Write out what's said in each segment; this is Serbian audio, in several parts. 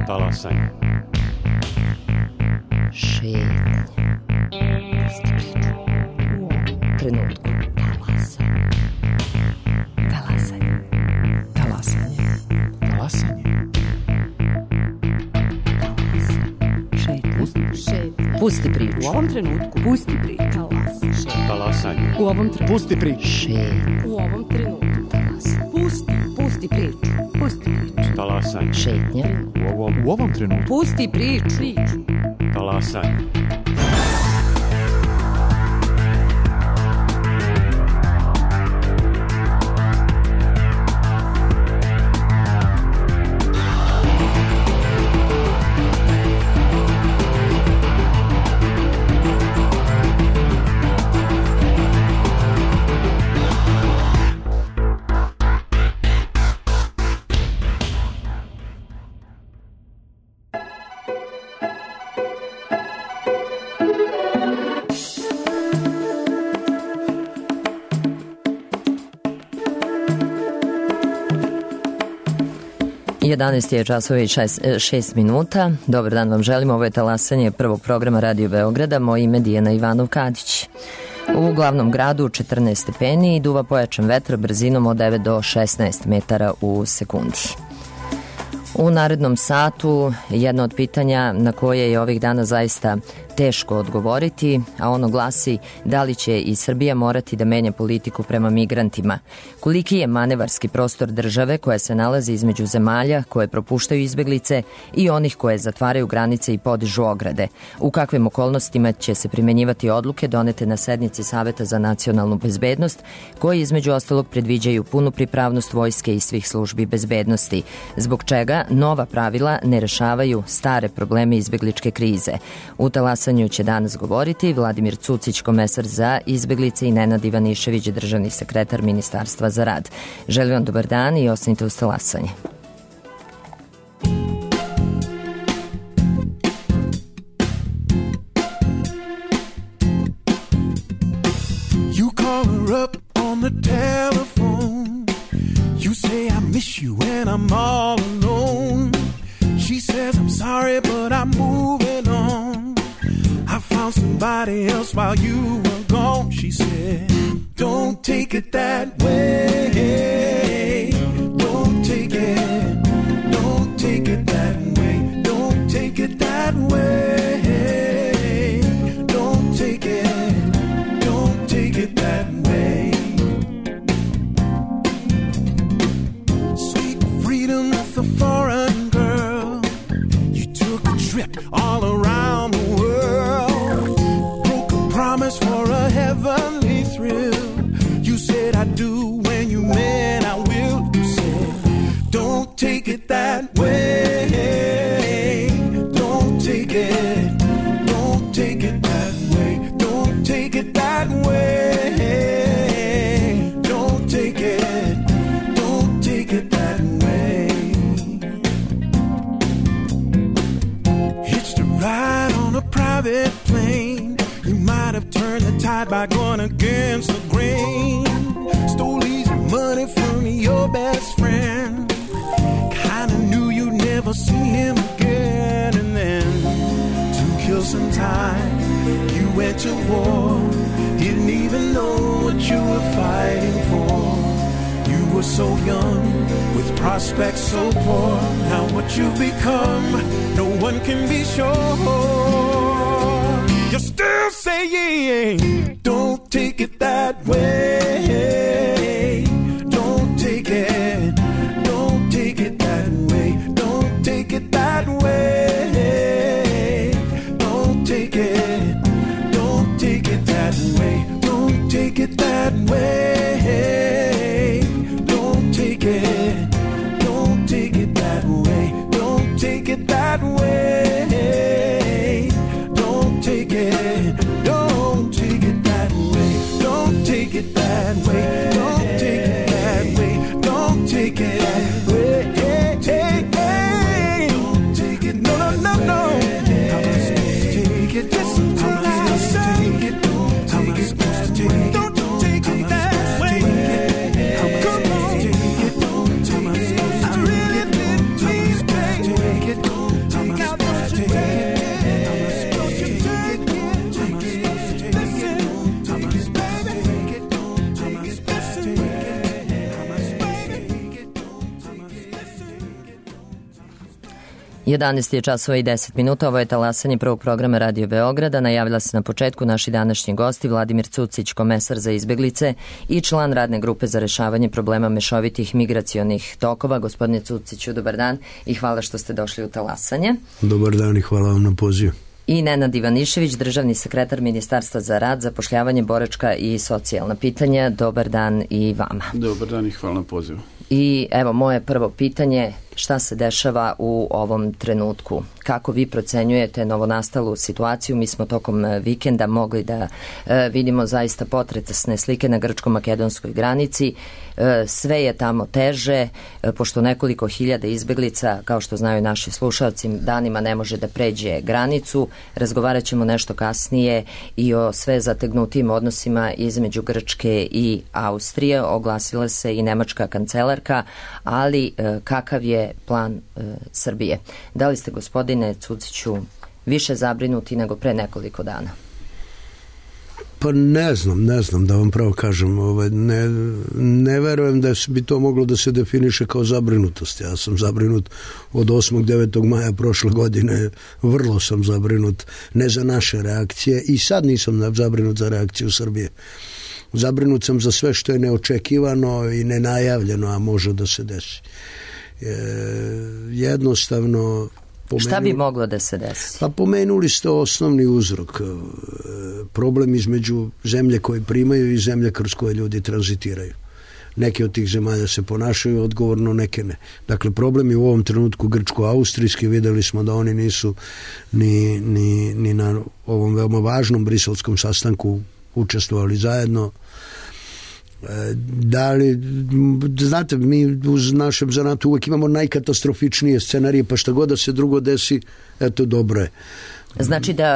Talasanje. Šetnje. Pusti priču. U ovom trenutku. Talasanje. Talasanje. Talasanje. Šetnje. Pusti priču. U ovom trenutku. Pusti priču. Talasanje. U ovom trenutku. Pusti priču. Šetnje. U ovom trenutku. Pusti priču. Pusti priču. Talasanje. Šetnje. U ovom trenutku. Pusti priču. Talasanje. Jedanaest je časova i 6 minuta. Dobar dan vam želim. Ovo je talasanje prvog programa Radio Beograda. Moje ime je Dijana Ivanov-Kadić. U glavnom gradu 14 stepeni i duva pojačan vetar brzinom od 9 do 16 metara u sekundi. U narednom satu jedno od pitanja na koje je ovih dana zaista teško odgovoriti, a ono glasi da li će i Srbija morati da menja politiku prema migrantima. Koliki je manevarski prostor države koja se nalazi između zemalja koje propuštaju izbeglice i onih koje zatvaraju granice i podižu ograde? U kakvim okolnostima će se primenjivati odluke donete na sednici Saveta za nacionalnu bezbednost, koji između ostalog predviđaju punu pripravnost vojske i svih službi bezbednosti, zbog čega nova pravila ne rešavaju stare probleme izbegličke krize. U talasanju će danas govoriti Vladimir Cucić, komesar za izbeglice, i Nenad Ivanišević, državni sekretar Ministarstva za rad. Želim vam dobar dan i ostanite uz talasanje. You call her up on the telephone. You say I miss you and I'm all alone. She says I'm sorry but I'm moving on. I found somebody else while you were gone. She said, don't take it that way. Don't take it. Don't take it that way. Don't take it that way. Don't take it. Don't take it that way. Sweet freedom with a foreign girl. You took a trip all around the world. Promise for a heavenly thrill. You said I do when you meant I will. You said don't take it that way. Don't take it. Don't take it that way. Don't take it that way. Don't take it. Don't take it that way. Hitched a ride on a private plane. You might have turned the tide by going against the grain. Stole easy money from your best friend. Kinda knew you'd never see him again. And then, to kill some time, you went to war. Didn't even know what you were fighting for. You were so young, with prospects so poor. Now what you've become, no one can be sure. You're still saying, don't take it that way. Don't take it. Don't take it that way. Don't take it that way. Don't take it. Don't take it that way. Don't take it that way. Don't take it. Don't take it that way. Don't take it that way. Don't take it that way. Don't take it that 11 je časova i 10 minuta, ovo je talasanje prvog programa Radio Beograda. Najavila se na početku naši današnji gosti Vladimir Cucić, komesar za izbeglice i član radne grupe za rešavanje problema mešovitih migracionih tokova. Gospodine Cuciću, dobar dan i hvala što ste došli u talasanje. Dobar dan i hvala vam na pozivu. I Nenad Ivanišević, državni sekretar Ministarstva za rad, zapošljavanje, boračka i socijalna pitanja. Dobar dan i vama. Dobar dan i hvala na pozivu. I evo moje prvo pitanje, šta se dešava u ovom trenutku? Kako vi procenjujete novonastalu situaciju? Mi smo tokom vikenda mogli da vidimo zaista potresne slike na grčko-makedonskoj granici. Sve je tamo teže, pošto nekoliko hiljada izbeglica, kao što znaju naši slušalci, danima ne može da pređe granicu. Razgovarat ćemo nešto kasnije i o sve zategnutim odnosima između Grčke i Austrije. Oglasila se i nemačka kancelarka, ali kakav je plan Srbije? Da li ste, gospodine Cuciću, više zabrinuti nego pre nekoliko dana? Pa ne znam da vam pravo kažem. Ne verujem da bi to moglo da se definiše kao zabrinutost. Ja sam zabrinut od 8. 9. maja prošle godine. Vrlo sam zabrinut, ne za naše reakcije, i sad nisam zabrinut za reakciju Srbije. Zabrinut sam za sve što je neočekivano i nenajavljeno, a može da se desi. Jednostavno... Šta bi moglo da se desi? Pa pomenuli ste osnovni uzrok. Problem između zemlje koje primaju i zemlje kroz koje ljudi tranzitiraju. Neke od tih zemalja se ponašaju odgovorno, neke ne. Dakle, problem je u ovom trenutku grčko-austrijski. Videli smo da oni nisu ni na ovom veoma važnom briselskom sastanku učestvovali zajedno. Da li, znate, mi u našem zanatu uvek imamo najkatastrofičnije scenarije, pa šta god da se drugo desi, eto, dobro je. Znači da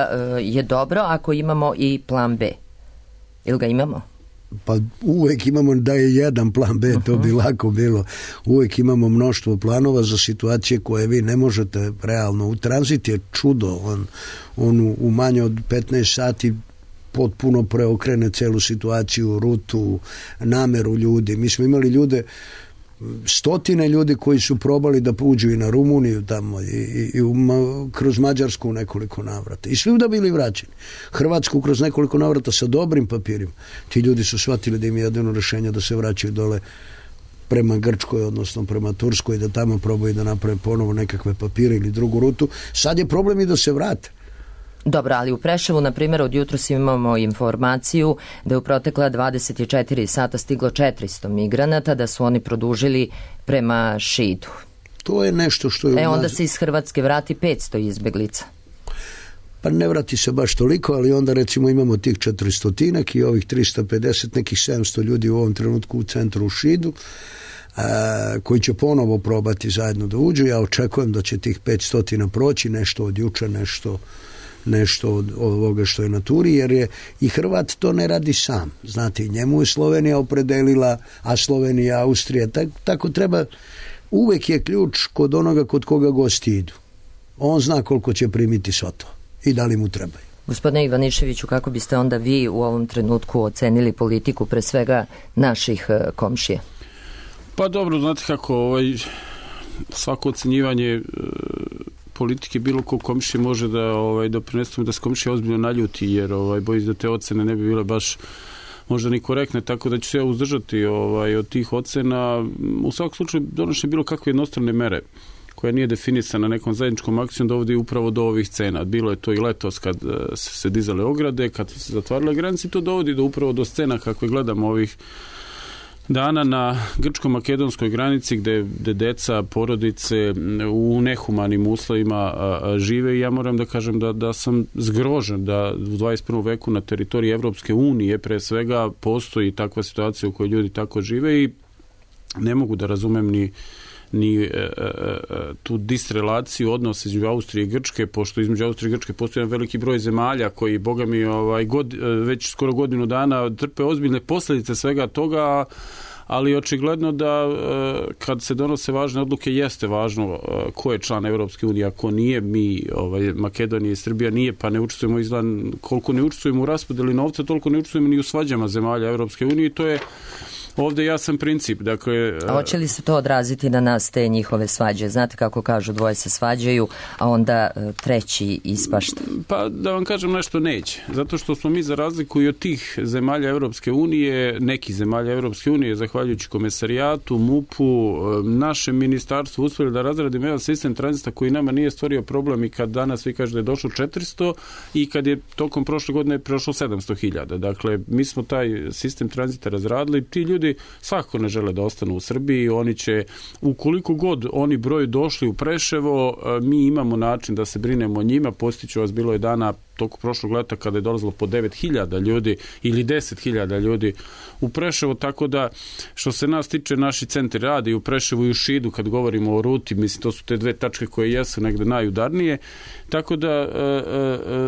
je dobro ako imamo i plan B. Ili ga imamo? Pa uvek imamo da je jedan plan B, to bi lako bilo. Uvek imamo mnoštvo planova za situacije koje vi ne možete realno. U tranzit je čudo, on u manje od 15 sati potpuno preokrene celu situaciju, rutu, nameru ljudi. Mi smo imali ljude, stotine ljudi koji su probali da uđu i na Rumuniju tamo i kroz Mađarsku u nekoliko navrata. I svi da bili vraćeni. Hrvatsku kroz nekoliko navrata sa dobrim papirima. Ti ljudi su shvatili da im je jedino rešenje da se vraćaju dole prema Grčkoj, odnosno prema Turskoj, da tamo probaju da naprave ponovo nekakve papire ili drugu rutu. Sad je problem i da se vrate. Dobro, ali u Preševu, na primjer, od jutros imamo informaciju da je u protekla 24 sata stiglo 400 migranata, da su oni produžili prema Šidu. To je nešto što je... Onda se iz Hrvatske vrati 500 izbeglica. Pa ne vrati se baš toliko, ali onda recimo imamo tih 400-tinak i ovih 350, nekih 700 ljudi u ovom trenutku u centru u Šidu, koji će ponovo probati zajedno da uđu. Ja očekujem da će tih 500 proći, nešto od juče, nešto od ovoga što je na turi, jer je i Hrvat to ne radi sam. Znate, njemu je Slovenija opredelila, a Slovenija, Austrija, tako treba. Uvek je ključ kod onoga kod koga gosti idu. On zna koliko će primiti svo to i da li mu trebaju. Gospodine Ivaniševiću, kako biste onda vi u ovom trenutku ocenili politiku pre svega naših komšija? Pa dobro, znate kako, svako ocenjivanje politike bilo ko komšije može da doprinesemo da se komšija ozbiljno naljuti, jer bojim da te ocene ne bi bile baš možda ni korektne, tako da ću se ja uzdržati od tih ocena. U svakom slučaju donošenje bilo kakve jednostrane mere koja nije definisana nekom zajedničkom akcijom dovodi upravo do ovih cena. Bilo je to i letos kad se dizale ograde, kad se zatvarale granice, to dovodi upravo do scena kakve gledamo ovih dana na grčko-makedonskoj granici gde deca, porodice u nehumanim uslovima žive, i ja moram da kažem da sam zgrožen da u 21. veku na teritoriji Evropske unije pre svega postoji takva situacija u kojoj ljudi tako žive, i ne mogu da razumem ni tu disrelaciju odnosa između Austrije i Grčke, pošto između Austrije i Grčke postoji jedan veliki broj zemalja koji, boga mi, već skoro godinu dana trpe ozbiljne posljedice svega toga, ali očigledno da kad se donose važne odluke jeste važno ko je član Evropske unije, ako nije. Mi, Makedonija i Srbija nije, pa ne učestvujemo koliko ne učestvujemo u raspodeli novca, toliko ne učestvujemo ni u svađama zemalja Evropske unije, i to je ovde jasan princip. Dakle, a hoće li se to odraziti na nas, te njihove svađe? Znate kako kažu, dvoje se svađaju, a onda treći ispašta. Pa da vam kažem nešto, neće. Zato što smo mi, za razliku i od tih zemalja Evropske unije, nekih zemalja Evropske unije, zahvaljujući komesarijatu, MUP-u, našem ministarstvu, uspjeli da razradimo jedan sistem tranzita koji nama nije stvorio problem, i kad danas vi kažete da je došlo 400 i kad je tokom prošle godine prošlo 700.000. Dakle, mi smo taj sistem tranzita razradili. Ti ljudi svakako ne žele da ostanu u Srbiji. Oni će, ukoliko god oni broj došli u Preševo, mi imamo način da se brinemo o njima. Postiću vas, bilo je dana toku prošlog leta kada je dolazilo po 9.000 ljudi ili 10.000 ljudi u Preševo, tako da što se nas tiče, naši centri rade i u Preševu i u Šidu, kad govorimo o ruti, mislim, to su te dve tačke koje jesu negde najudarnije, tako da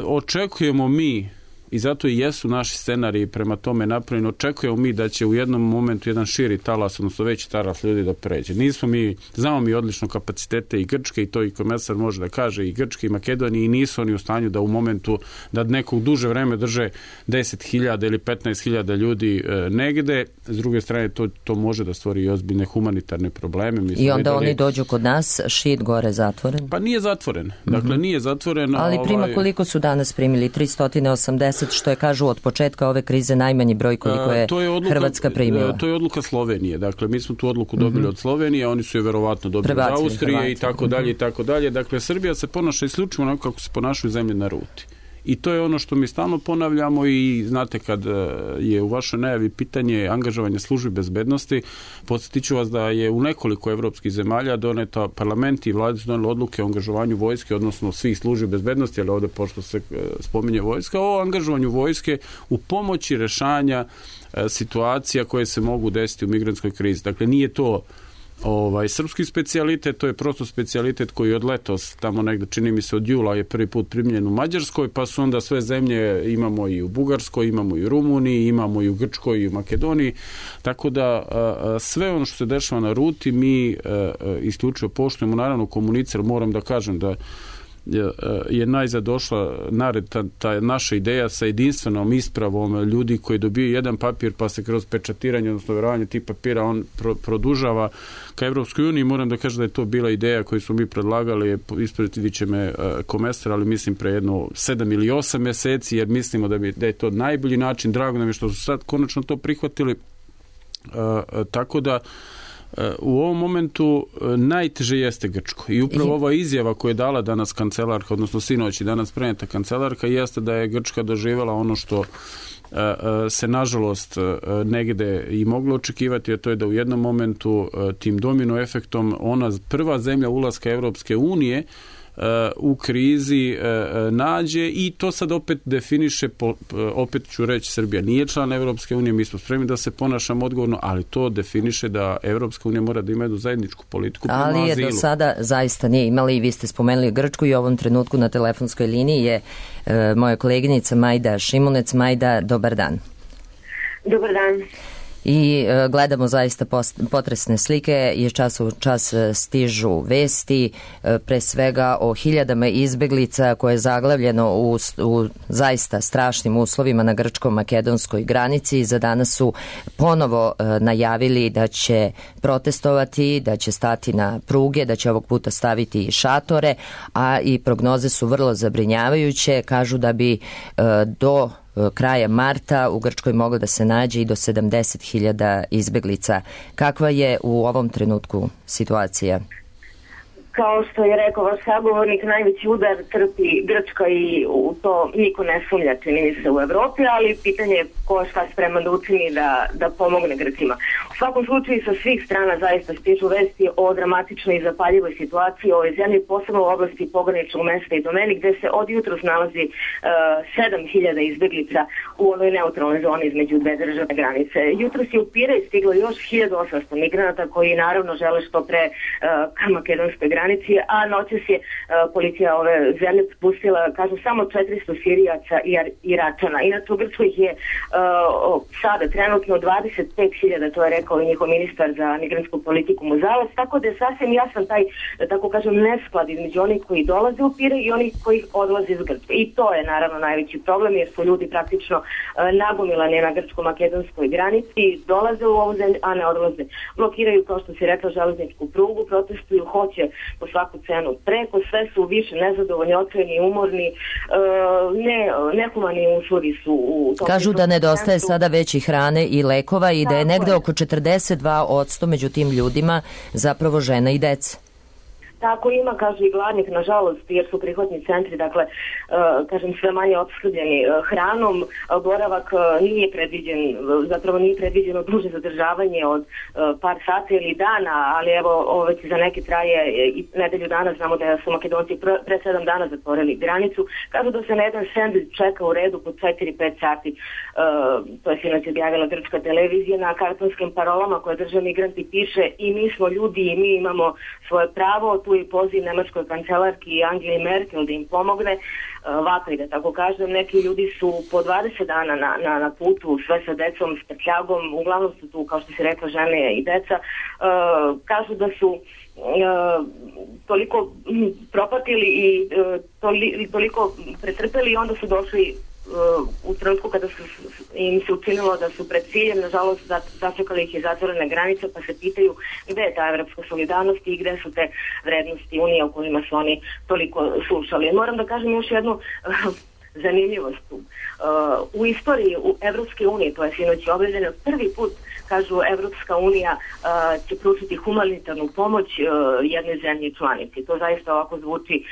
očekujemo mi, i zato i jesu naši scenariji prema tome napravljeni, očekujemo mi da će u jednom momentu jedan širi talas, odnosno veći talas ljudi da pređe. Znamo mi odlično kapacitete i Grčke, i to i komesar može da kaže, i Grčke i Makedonije, i nisu oni u stanju da u momentu da nekog duže vreme drže 10.000 ili 15.000 ljudi negde. S druge strane, to može da stvori i ozbiljne humanitarne probleme. I onda oni dođu kod nas, Šid gore zatvoren? Pa nije zatvoren. Dakle, nije zatvoren. Ali prima koliko su danas primili? 380, što je, kažu, od početka ove krize najmanji broj koliko je Hrvatska primila. To je odluka Slovenije. Dakle, mi smo tu odluku dobili od Slovenije, oni su je verovatno dobili od Austrije i tako dalje i tako dalje. Dakle, Srbija se ponaša isključivo onako kako se ponašaju zemlje na ruti. I to je ono što mi stalno ponavljamo, i znate, kad je u vašoj najavi pitanje angažovanja službi bezbednosti, podsjetit ću vas da je u nekoliko evropskih zemalja doneta, parlament i vlade su doneli odluke o angažovanju vojske, odnosno svih službi bezbednosti, ali ovde pošto se spominje vojska, o angažovanju vojske u pomoći rešanja situacija koje se mogu desiti u migrantskoj krizi. Dakle, nije to srpski specijalitet, to je prosto specijalitet koji od letos, tamo negde, čini mi se od jula, je prvi put primljen u Mađarskoj, pa su onda sve zemlje, imamo i u Bugarskoj, imamo i u Rumuniji, imamo i u Grčkoj i u Makedoniji, tako da sve ono što se dešava na ruti mi isključivo poštujemo, naravno komuniciramo. Moram da kažem da je najzad došla nared ta naša ideja sa jedinstvenom ispravom ljudi koji dobiju jedan papir, pa se kroz pečatiranje, odnosno verovanje tih papira, on produžava ka Evropskoj uniji. Moram da kažem da je to bila ideja koju smo mi predlagali, ispratit će me komesar, ali mislim pre jedno 7 ili 8 meseci, jer mislimo da je to najbolji način. Drago nam je što su sad konačno to prihvatili, tako da u ovom momentu najteže jeste Grčko. I upravo ova izjava koju je dala danas kancelarka, odnosno sinoć i danas preneta kancelarka, jeste da je Grčka doživjela ono što se nažalost negde i moglo očekivati, a to je da u jednom momentu tim domino efektom ona prva zemlja ulaska Evropske unije u krizi nađe, i to sad opet definiše, opet ću reći, Srbija nije član Evropske unije, mi smo spremni da se ponašamo odgovorno, ali to definiše da Evropska unija mora da ima jednu zajedničku politiku prema azilu. Ali je do sada zaista nije imali, i vi ste spomenuli Grčku, i u ovom trenutku na telefonskoj liniji je moja koleginica Majda Šimunec. Majda, dobar dan. Dobar dan. I gledamo zaista potresne slike, iz časa u čas stižu vesti, pre svega o hiljadama izbeglica koje je zaglavljeno u zaista strašnim uslovima na grčko-makedonskoj granici. Za danas su ponovo najavili da će protestovati, da će stati na pruge, da će ovog puta staviti šatore, a i prognoze su vrlo zabrinjavajuće. Kažu da bi do kraja marta u Grčkoj moglo da se nađe i do 70.000 izbeglica. Kakva je u ovom trenutku situacija? Kao što je rekao vaš sagovornik, najveći udar trpi Grčka i u to niko ne sumnja, čini mi se, u Evropi, ali pitanje je ko šta spreman da učini da pomogne Grcima. U svakom slučaju sa svih strana zaista stižu vesti o dramatičnoj i zapaljivoj situaciji u ovoj zemlji, posebno u oblasti pograničnog mesta i domeni, gde se od jutros nalazi 7.000 izbeglica u onoj neutralnoj zoni između dve državne granice. Jutros je u Pirej stiglo još 1.800 migranata koji naravno žele što pre ka makedonskoj granici, granici, a noćas je policija ove zemlje pustila, kažu, samo 400 Sirijaca i Iračana. Inače u Grčkoj ih je sada trenutno 25.000, to je rekao i njihov ministar za migrantsku politiku Muzalac, tako da je sasvim jasan taj, da tako kažem, nesklad između onih koji dolaze u Pire i onih koji odlaze iz Grčke. I to je naravno najveći problem, jer su ljudi praktično nagomilani na grčko-makedonskoj granici, dolaze u ovu zemlju, a ne odlaze. Blokiraju, kao što si rekla, železničku prugu, protestuju, hoće po svaku cenu preko, sve su više nezadovoljni, otvoreni, umorni, nehumani uslovi su u tom. Kažu da nedostaje sada već i hrane i lekova i da je negde oko 42% među tim ljudima zapravo žena i deca. Tako ima, kažu, i gladnih, nažalost, jer su prihvatni centri, dakle, kažem, sve manje opskrbljeni hranom. Boravak nije predviđeno duže zadržavanje od par sati ili dana, ali evo, već za neke traje i nedelju dana. Znamo da su Makedonci pre 7 dana zatvorili granicu. Kažu da se na jedan sendvič čeka u redu po 4-5 sati. To je sinoć objavila grčka televizija. Na kartonskim parolama koje drže migranti piše: i mi smo ljudi i mi imamo svoje pravo. Tu i poziv nemačkoj kancelarki Angeli Merkel da im pomogne. Vapaj, da tako kažem, neki ljudi su po 20 dana na putu, sve sa decom, s prtljagom, uglavnom su tu, kao što si rekla, žene i deca. Kažu da su toliko propatili i toliko pretrpeli i onda su došli u trenutku kada im se učinilo da su pred ciljem, nažalost začekali ih je zatvorene granice, pa se pitaju gde je ta evropska solidarnost i gde su te vrednosti Unije o kojima su oni toliko slušali. Moram da kažem još jednu zanimljivost. U istoriji Evropske unije, to je sinoć objavljeno, prvi put, kažu, Evropska unija će pružiti humanitarnu pomoć jednoj zemlji članici. To zaista ovako zvuči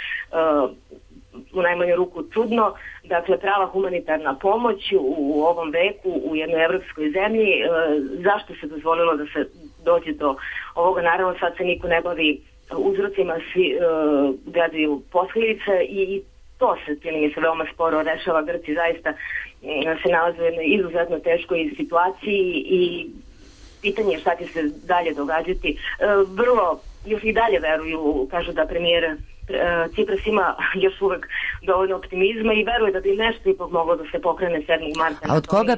u najmanju ruku čudno. Dakle, prava humanitarna pomoć u ovom veku u jednoj evropskoj zemlji. Zašto se dozvolilo da se dođe do ovoga? Naravno, sad se niko ne bavi uzrocima, svi gledaju posljedice i to se, čini mi se, veoma sporo rešava. Grci zaista se nalaze u jednoj izuzetno teškoj situaciji i pitanje je šta će se dalje događati. Vrlo još i dalje veruju, kažu da premijer Cipras ima još uvek dovoljno optimizma i veruje da bi nešto ipak moglo da se pokrene 7. marta. A od koga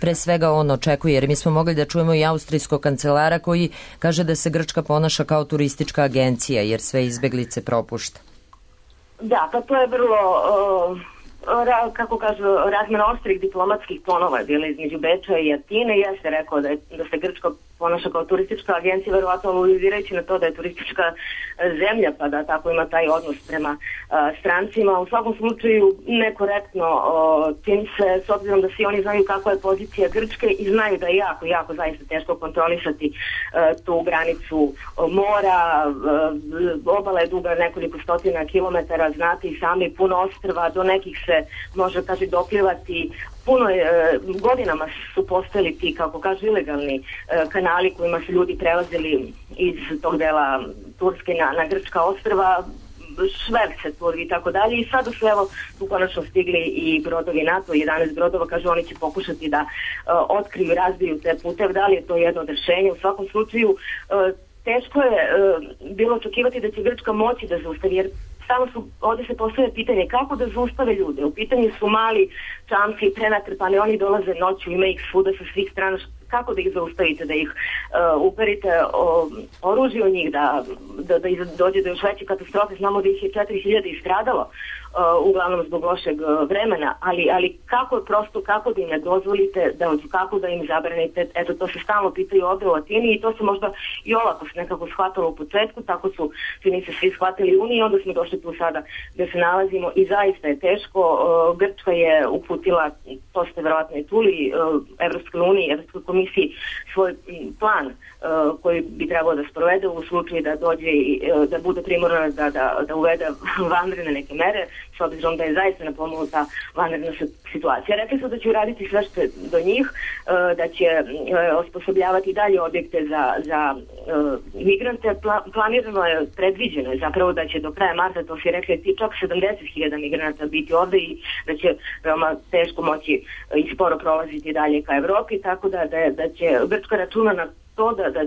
pre svega on očekuje? Jer mi smo mogli da čujemo i austrijskog kancelara koji kaže da se Grčka ponaša kao turistička agencija jer sve izbeglice propušta. Da, pa to je vrlo, kako kažu, razmena ostrih diplomatskih tonova je bila između Beča i Atine. Ja se rekao da se Grčka ponaša kao turistička agencija, verovatno aludirajući na to da je turistička zemlja, pa da tako ima taj odnos prema strancima. U svakom slučaju nekorektno čini se, s obzirom da svi oni znaju kakva je pozicija Grčke i znaju da je jako zaista teško kontrolisati tu granicu mora. Obala je duga nekoliko stotina kilometara, znate i sami, puno ostrva, do nekih se može, kaže, doplivati. Puno godinama su postojali ti, kako kažu, ilegalni kanali kojima su ljudi prelazili iz tog dela Turske na grčka ostrva, šverce turvi i tako dalje. I sada su evo tu konačno stigli i brodovi NATO, 11 brodova, kažu oni će pokušati da otkriju i razbiju te puteve. Da li je to jedno od rešenja? U svakom slučaju teško je bilo očekivati da će Grčka moći da zaustavi, jer ovdje se postavlja pitanje kako da zaustave ljude. U pitanju su mali čamci, prenatrpani, oni dolaze noću, ima ih svuda sa svih strana. Kako da ih zaustavite, da ih uperite oružje u njih, da dođe do još veće katastrofe? Znamo da ih je 4.000 istradalo, uglavnom zbog lošeg vremena, ali kako da im ne dozvolite, kako da im zabranite? Eto, to se stalno pitaju ovdje u Atini i to se možda i olako nekako shvatalo u početku, tako su čini se svi shvatili Uniji, onda smo došli tu sada gde se nalazimo i zaista je teško. Grčka je uputila, to ste verovatno i čuli, Evropskoj uniji, Evropskoj komisiji svoj plan koji bi trebalo da sprovede u slučaju da dođe da bude primorana da uvede vanredne neke mere, s obzirom da je zaista napomognuta vanredna situacija. Rekli su da će uraditi sve što je do njih, da će osposobljavati dalje objekte za migrante. Planirano je, predviđeno je zapravo da će do kraja marta, to si rekli, čak 70.000 migranata biti ovde i da će veoma teško moći i sporo prolaziti dalje ka Evropi, tako da će Grčka računa na to da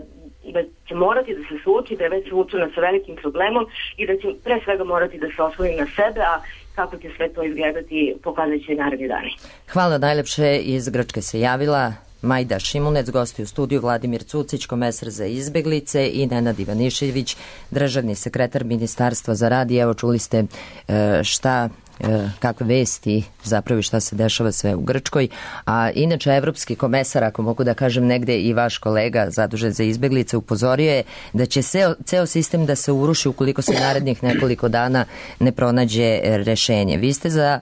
da će morati da se suoči, da je već suočena sa velikim problemom i da će pre svega morati da se osloni na sebe, a kako će sve to izgledati pokazat će naredni dani. Hvala najlepše. Iz Grčke se javila Majda Šimunec, gosti u studiju Vladimir Cucić, komesar za izbeglice, i Nenad Ivanišević, državni sekretar Ministarstva za rad. I evo, čuli ste kakve vesti zapravo i šta se dešava sve u Grčkoj. A inače, evropski komesar, ako mogu da kažem, negde i vaš kolega zadužen za izbeglice, upozorio je da će ceo sistem da se uruši ukoliko se narednih nekoliko dana ne pronađe rešenje. Vi ste za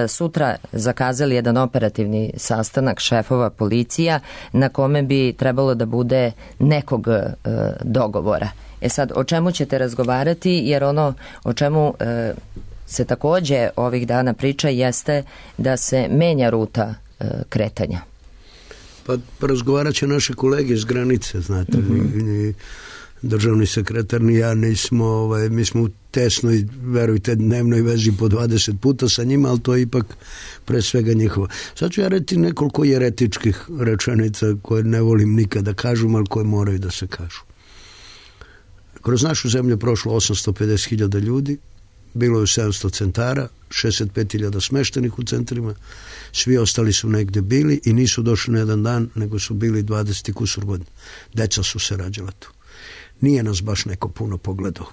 sutra zakazali jedan operativni sastanak šefova policija na kome bi trebalo da bude nekog dogovora. Sad, o čemu ćete razgovarati? Jer ono o čemu se takođe ovih dana priča jeste da se menja ruta kretanja. Pa razgovarat će naše kolege iz granice, znate, ni državni sekretar ni ja nismo, mi smo u tesnoj, verujte, dnevnoj vezi po 20 puta sa njima, ali to je ipak pre svega njihovo. Sad ću ja reći nekoliko jeretičkih rečenica koje ne volim nikada kažem, ali koje moraju da se kažu. Kroz našu zemlju je prošlo 850.000 ljudi, bilo je 700 centara, 65.000 smeštenih u centrima, svi ostali su negde bili i nisu došli na jedan dan, nego su bili 20 kusur godina. Deca su se rađala tu. Nije nas baš neko puno pogledao.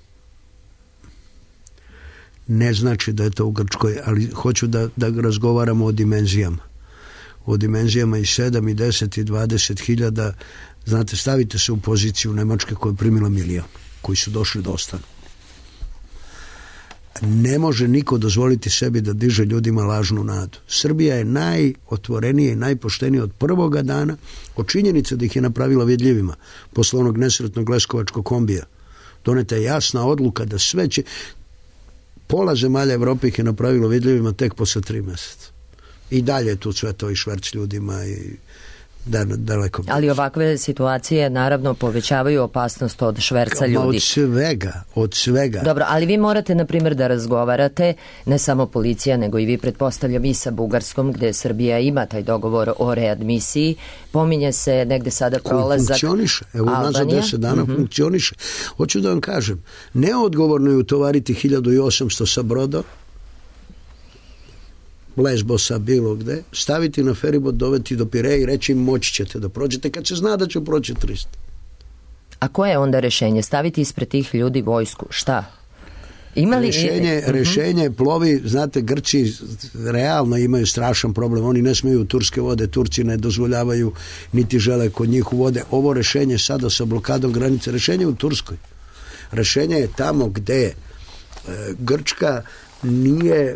Ne znači da je to u Grčkoj, ali hoću da razgovaramo o dimenzijama. O dimenzijama i 7, i 10, i 20.000. Znate, stavite se u poziciju Nemačke koja je primila milion, koji su došli da ostanu. Ne može niko dozvoliti sebi da diže ljudima lažnu nadu. Srbija je najotvorenija i najpoštenija od prvoga dana, od činjenice da ih je napravila vidljivima. Posle onog nesretnog leskovačkog kombija doneta je jasna odluka da sve će... Pola zemalja Evrope ih je napravilo vidljivima tek posle 3 meseca. I dalje je tu sve to i šverc ljudima i daleko. Ali ovakve situacije naravno povećavaju opasnost od šverca ljudi. Od svega. Dobro, ali vi morate, na primjer, da razgovarate, ne samo policija, nego i vi, pretpostavljam, i sa Bugarskom, gde Srbija ima taj dogovor o readmisiji. Pominje se negde sada prolazak funkcioniše. Evo, nazad 10 dana funkcioniše. Hoću da vam kažem, neodgovorno je utovariti 1800 sa broda, Lesbosa, bilo gde, staviti na feribot, doveti do Pireja i reći im moći ćete da prođete, kad se zna da će proći 300. A koje je onda rešenje? Staviti ispred tih ljudi vojsku? Šta? Rešenje plovi, znate, Grci realno imaju strašan problem, oni ne smeju u turske vode, Turci ne dozvoljavaju niti žele kod njih u vode. Ovo rešenje sada sa blokadom granice, rešenje je u Turskoj. Rešenje je tamo gde Grčka nije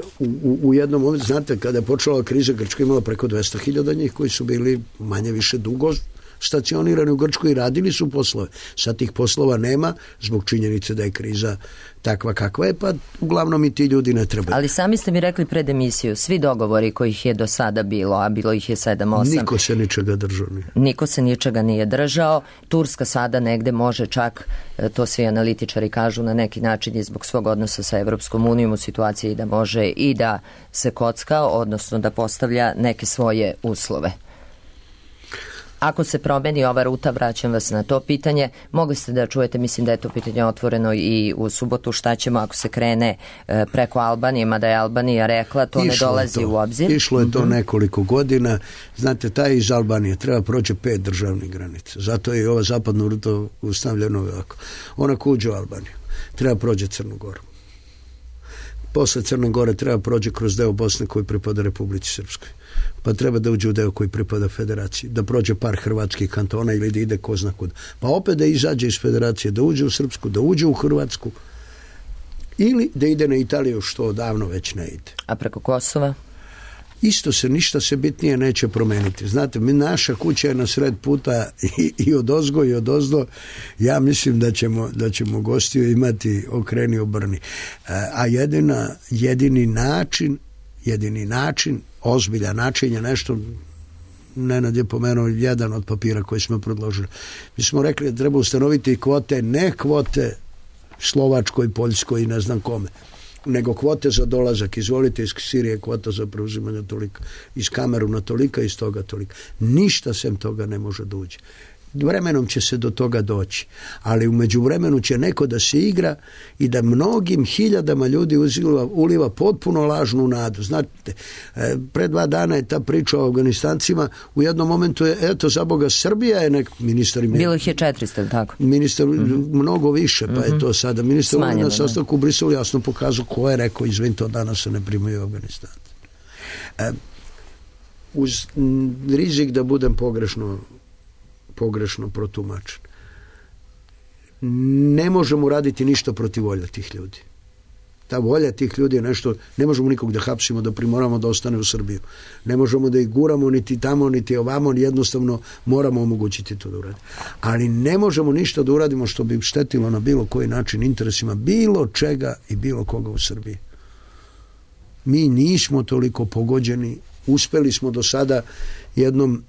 u jednom momentu, znate, kada je počela kriza, Grčka imala preko 200.000 njih koji su bili manje više dugo stacionirani u Grčkoj i radili su poslove. Sad tih poslova nema zbog činjenice da je kriza takva kakva je, pa uglavnom i ti ljudi ne trebaju. Ali sami ste mi rekli pred emisiju, svi dogovori kojih je do sada bilo, a bilo ih je 7-8. Niko se ničega držao nije. Niko se ničega nije držao. Turska sada negde može čak, to svi analitičari kažu, na neki način i zbog svog odnosa sa Evropskom unijom u situaciji da može i da se kocka, odnosno da postavlja neke svoje uslove. Ako se promeni ova ruta, vraćam vas na to pitanje, mogli ste da čujete, mislim da je to pitanje otvoreno i u subotu, šta ćemo ako se krene preko Albanije, mada je Albanija rekla, to ne dolazi u obzir. Išlo je to nekoliko godina, znate, taj iz Albanije treba proći 5 državnih granica, zato je i ova zapadna ruta ustavljena ovako. Ona kuđe u Albaniju, treba prođe Crnu Goru. Posle Crne Gore treba prođe kroz deo Bosne koji pripada Republici Srpskoj. Pa treba da uđe u deo koji pripada Federaciji, da prođe par hrvatskih kantona ili da ide ko zna kud. Pa opet da izađe iz Federacije, da uđe u Srpsku, da uđe u Hrvatsku ili da ide na Italiju, što odavno već ne ide. A preko Kosova? Isto se, ništa se bitnije neće promeniti. Znate, naša kuća je na sred puta i od ozgo i od ozdo. Ja mislim da ćemo gostiju imati okreni obrni. A jedini način, ozbiljan način je nešto, Nenad je pomenuo jedan od papira koji smo predložili. Mi smo rekli da treba ustanoviti kvote, ne kvote Slovačkoj, Poljskoj i ne znam kome, nego kvote za dolazak. Izvolite, iz Sirije kvota za preuzimanje tolika, iz Kameruna tolika, iz toga tolika. Ništa sem toga ne može da uđe. vremenom će se do toga doći, ali u međuvremenu će neko da se igra i da mnogim hiljadama ljudi uliva potpuno lažnu nadu. Znate, pre 2 dana je ta priča o Afganistancima, u jednom momentu je, eto, za Boga, Srbija je ministar... Bilo ih je 400, tako? Ministar, mnogo više, pa je to sada. Ministar na sastanku u Briselu jasno pokazao ko je rekao, izvinite, od danas se ne primaju Afganistanci. Uz rizik da budem pogrešno protumačen. Ne možemo raditi ništa protiv volja tih ljudi. Ta volja tih ljudi je nešto, ne možemo nikog da hapsimo, da primoramo da ostane u Srbiju. Ne možemo da ih guramo niti tamo, niti ovamo, jednostavno moramo omogućiti to da uradimo. Ali ne možemo ništa da uradimo što bi štetilo na bilo koji način interesima bilo čega i bilo koga u Srbiji. Mi nismo toliko pogođeni, uspeli smo do sada jednom,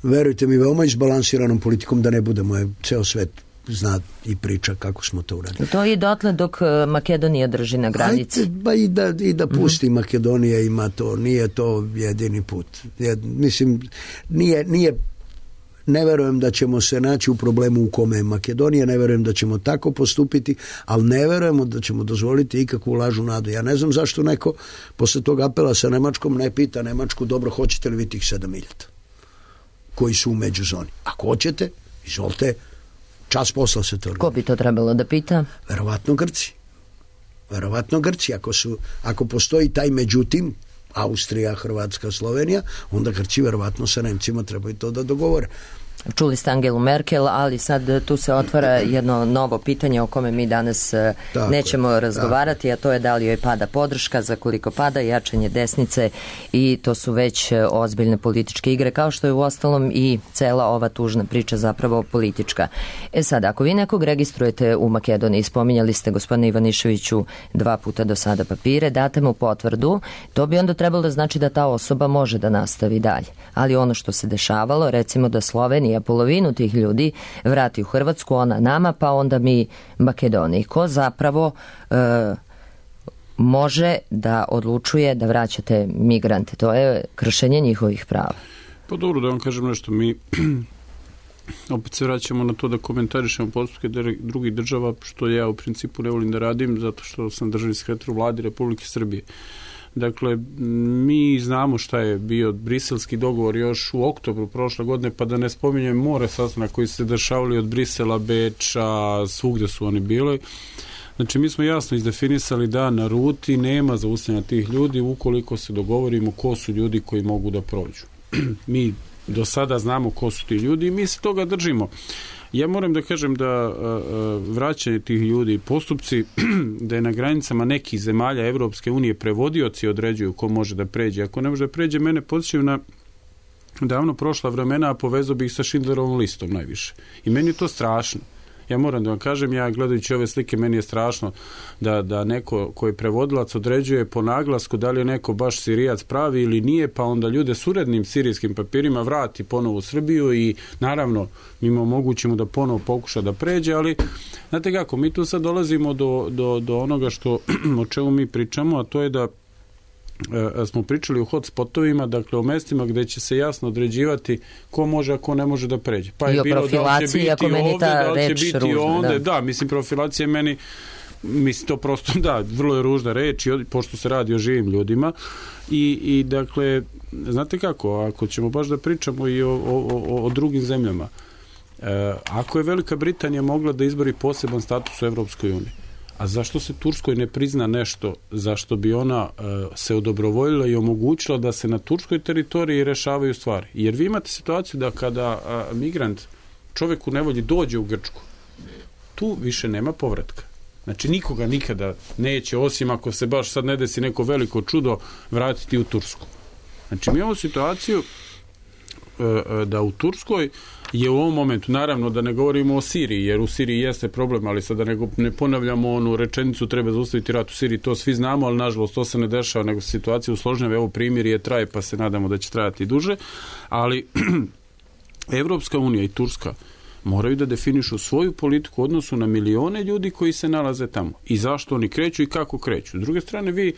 verujte mi, veoma izbalansiranom politikom da ne budemo, ceo svet zna i priča kako smo to uradili. To je dotle dok Makedonija drži na granici. Ajde, i da pusti Makedonija, ima to, nije to jedini put. Mislim, nije ne verujem da ćemo se naći u problemu u kome je Makedonija, ne verujem da ćemo tako postupiti, ali ne verujemo da ćemo dozvoliti ikakvu lažnu nadu. Ja ne znam zašto neko posle tog apela sa Nemačkom ne pita Nemačku, dobro, hoćete li vi tih 7.000 koji su u međuzoni? Ako hoćete, izvolite, čas posla se to. Ko bi to trebalo da pita? Verovatno Grci. Ako postoji taj međutim, Austrija, Hrvatska, Slovenija, onda Grci verovatno sa Nemcima trebaju to da dogovore. Čuli ste Angelu Merkel, ali sad tu se otvara jedno novo pitanje o kome mi danas nećemo razgovarati, a to je da li joj pada podrška, za koliko pada, jačanje desnice, i to su već ozbiljne političke igre, kao što je uostalom i cela ova tužna priča zapravo politička. Sad, ako vi nekog registrujete u Makedoniji, spominjali ste, gospodine Ivaniševiću, 2 puta do sada papire, date mu potvrdu, to bi onda trebalo da znači da ta osoba može da nastavi dalje. Ali ono što se dešavalo, recimo da Slovenija polovinu tih ljudi vrati u Hrvatsku, ona nama, pa onda mi Makedoniji. Ko zapravo može da odlučuje da vraćate migrante? To je kršenje njihovih prava. Pa dobro, da vam kažem nešto, mi opet se vraćamo na to da komentarišemo postupke drugih država, što ja u principu ne volim da radim, zato što sam državni sekretar u Vladi Republike Srbije. Dakle, mi znamo šta je bio briselski dogovor još u oktobru prošle godine, pa da ne spominjem more sastanaka koji su se dešavali od Brisela, Beča, svugde su oni bili. Znači, mi smo jasno izdefinisali da na ruti nema zaustavljanja tih ljudi ukoliko se dogovorimo ko su ljudi koji mogu da prođu. Mi do sada znamo ko su ti ljudi i mi se toga držimo. Ja moram da kažem da vraćanje tih ljudi, postupci, da je na granicama nekih zemalja Evropske unije prevodioci određuju ko može da pređe. Ako ne može da pređe, mene podsjećaju na davno prošla vremena, a povezao bih sa Schindlerovom listom najviše. I meni je to strašno. Ja moram da vam kažem, ja gledajući ove slike, meni je strašno da neko koji prevodilac određuje po naglasku da li je neko baš Sirijac pravi ili nije, pa onda ljude s urednim sirijskim papirima vrati ponovo u Srbiju i naravno mi mu omogućimo da ponovo pokuša da pređe, ali znate kako, mi tu sad dolazimo do onoga o čemu mi pričamo, a to je da smo pričali o hotspotovima, dakle o mestima gde će se jasno određivati ko može, a ko ne može da pređe. Pa i o profilaciji, ako meni ta reč ružna. Da, mislim, profilacija meni, mislim, to prosto, da, vrlo je ružna reč, pošto se radi o živim ljudima i dakle, znate kako, ako ćemo baš da pričamo i o drugim zemljama, ako je Velika Britanija mogla da izbori poseban status u Evropskoj uniji, a zašto se Turskoj ne prizna nešto zašto bi ona se odobrovoljila i omogućila da se na turskoj teritoriji rešavaju stvari? Jer vi imate situaciju da kada migrant, čovjek u nevolji, dođe u Grčku, tu više nema povratka. Znači nikoga nikada neće, osim ako se baš sad ne desi neko veliko čudo, vratiti u Tursku. Znači mi imamo situaciju da u Turskoj je u ovom momentu, naravno da ne govorimo o Siriji, jer u Siriji jeste problem, ali sad da ne ponavljamo onu rečenicu treba zaustaviti rat u Siriji, to svi znamo, ali nažalost to se ne dešava, nego situacija usložnjava, evo primirje traje, pa se nadamo da će trajati duže, ali Evropska unija i Turska moraju da definišu svoju politiku u odnosu na milione ljudi koji se nalaze tamo i zašto oni kreću i kako kreću. S druge strane, vi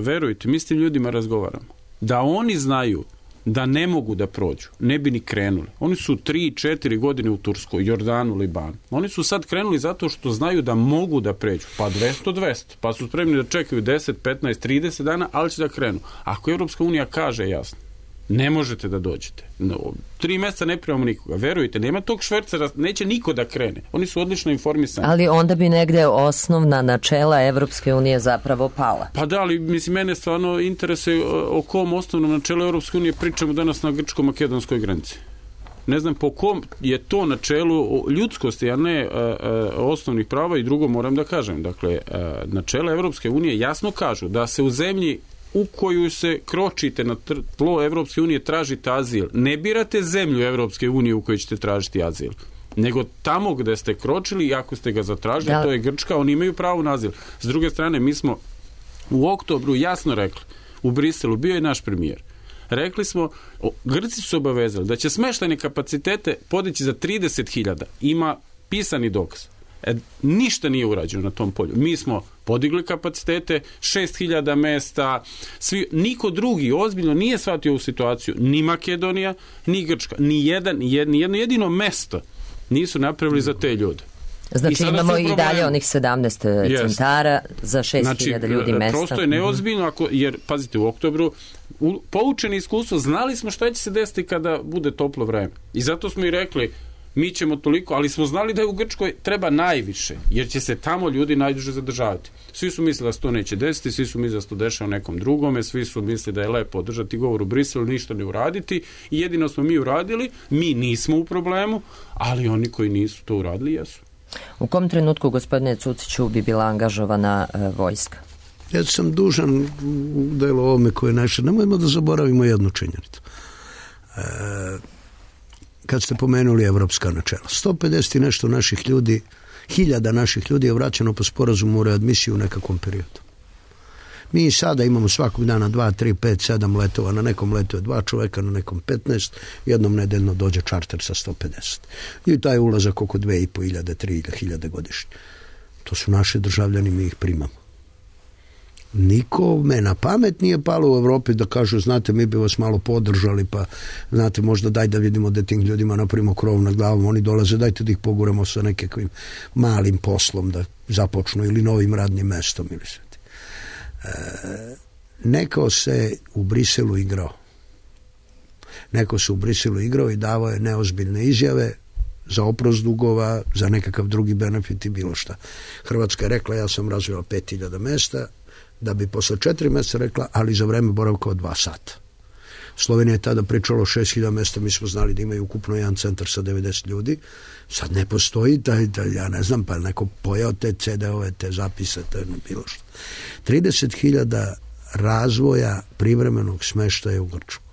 verujte, mi s tim ljudima razgovaramo. Da oni znaju da ne mogu da prođu, ne bi ni krenuli. Oni su 3-4 godine u Turskoj, Jordanu, Libanu. Oni su sad krenuli zato što znaju da mogu da pređu. Pa 200, pa su spremni da čekaju 10, 15, 30 dana, ali će da krenu. Ako Evropska unija kaže jasno, ne možete da dođete. 3 mjeseca ne primamo nikoga. Verujte, nema tog švercera, neće niko da krene. Oni su odlično informisani. Ali onda bi negde osnovna načela Evropske unije zapravo pala. Pa da, ali mislim, mene stvarno interesuje o kom osnovnom načelu Evropske unije pričamo danas na grčko-makedonskoj granici. Ne znam po kom je to načelu ljudskosti, a ne osnovnih prava. I drugo moram da kažem. Dakle, načela Evropske unije jasno kažu da se u zemlji u koju se kročite na tlo Evropske unije tražite azil. Ne birate zemlju Evropske unije u kojoj ćete tražiti azil, nego tamo gde ste kročili i ako ste ga zatražili, to je Grčka, oni imaju pravo na azil. S druge strane, mi smo u oktobru jasno rekli, u Briselu, bio je naš premijer, rekli smo, Grci su se obavezali da će smeštajne kapacitete podići za 30.000. Ima pisani dokaz. Ništa nije urađeno na tom polju. Mi smo podigli kapacitete, 6.000 mesta, niko drugi ozbiljno nije shvatio ovu situaciju, ni Makedonija, ni Grčka, ni jedno jedino mesto nisu napravili za te ljude. Znači imamo i dalje onih 17 centara za 6.000 ljudi mesta. Prosto je neozbiljno, jer, pazite, u oktobru poučeni iskustvo, znali smo šta će se desiti kada bude toplo vreme. I zato smo i rekli, mi ćemo toliko, ali smo znali da je u Grčkoj treba najviše, jer će se tamo ljudi najduže zadržavati. Svi su mislili da se to neće desiti, svi su mislili da se to dešava nekom drugome, svi su mislili da je lepo održati govor u Briselu, ništa ne uraditi, i jedino smo mi uradili, mi nismo u problemu, ali oni koji nisu to uradili jesu. U kom trenutku, gospodine Cuciću, bi bila angažovana vojska? Ja sam dužan u delu ovome koje naše, nemojmo da zaboravimo jednu činjenicu. Kad ste pomenuli evropska načela, 150 i nešto naših ljudi, 1000 naših ljudi je vraćeno po sporazumu o readmisiji u nekakvom periodu. Mi sada imamo svakog dana 2, 3, 5, 7 letova, na nekom letu je 2 čoveka, na nekom 15, jednom nedeljno dođe čarter sa 150. I taj ulazak oko 2.500, 3.000 godišnje. To su naši državljani, mi ih primamo. Nikome na pamet nije palo u Evropi da kažu, znate, mi bi vas malo podržali, pa znate, možda daj da vidimo da tim ljudima napravimo krov nad glavom, oni dolaze, dajte da ih poguramo sa nekakvim malim poslom da započnu ili novim radnim mestom ili sve. Neko se u Briselu igrao. Neko se u Briselu igrao i davao je neozbiljne izjave za oprost dugova, za nekakav drugi benefit i bilo šta. Hrvatska je rekla, ja sam razvila 5.000 mesta, da bi posle 4 mjeseca rekla, ali za vreme boravka od 2 sata. Slovenija je tada pričala o 6.000 mesta, mi smo znali da imaju ukupno jedan centar sa 90 ljudi. Sad ne postoji taj, ja ne znam, pa neko pojao te CD-ove, te zapise, te bilo što. 30.000 razvoja privremenog smeštaja u Grčkoj.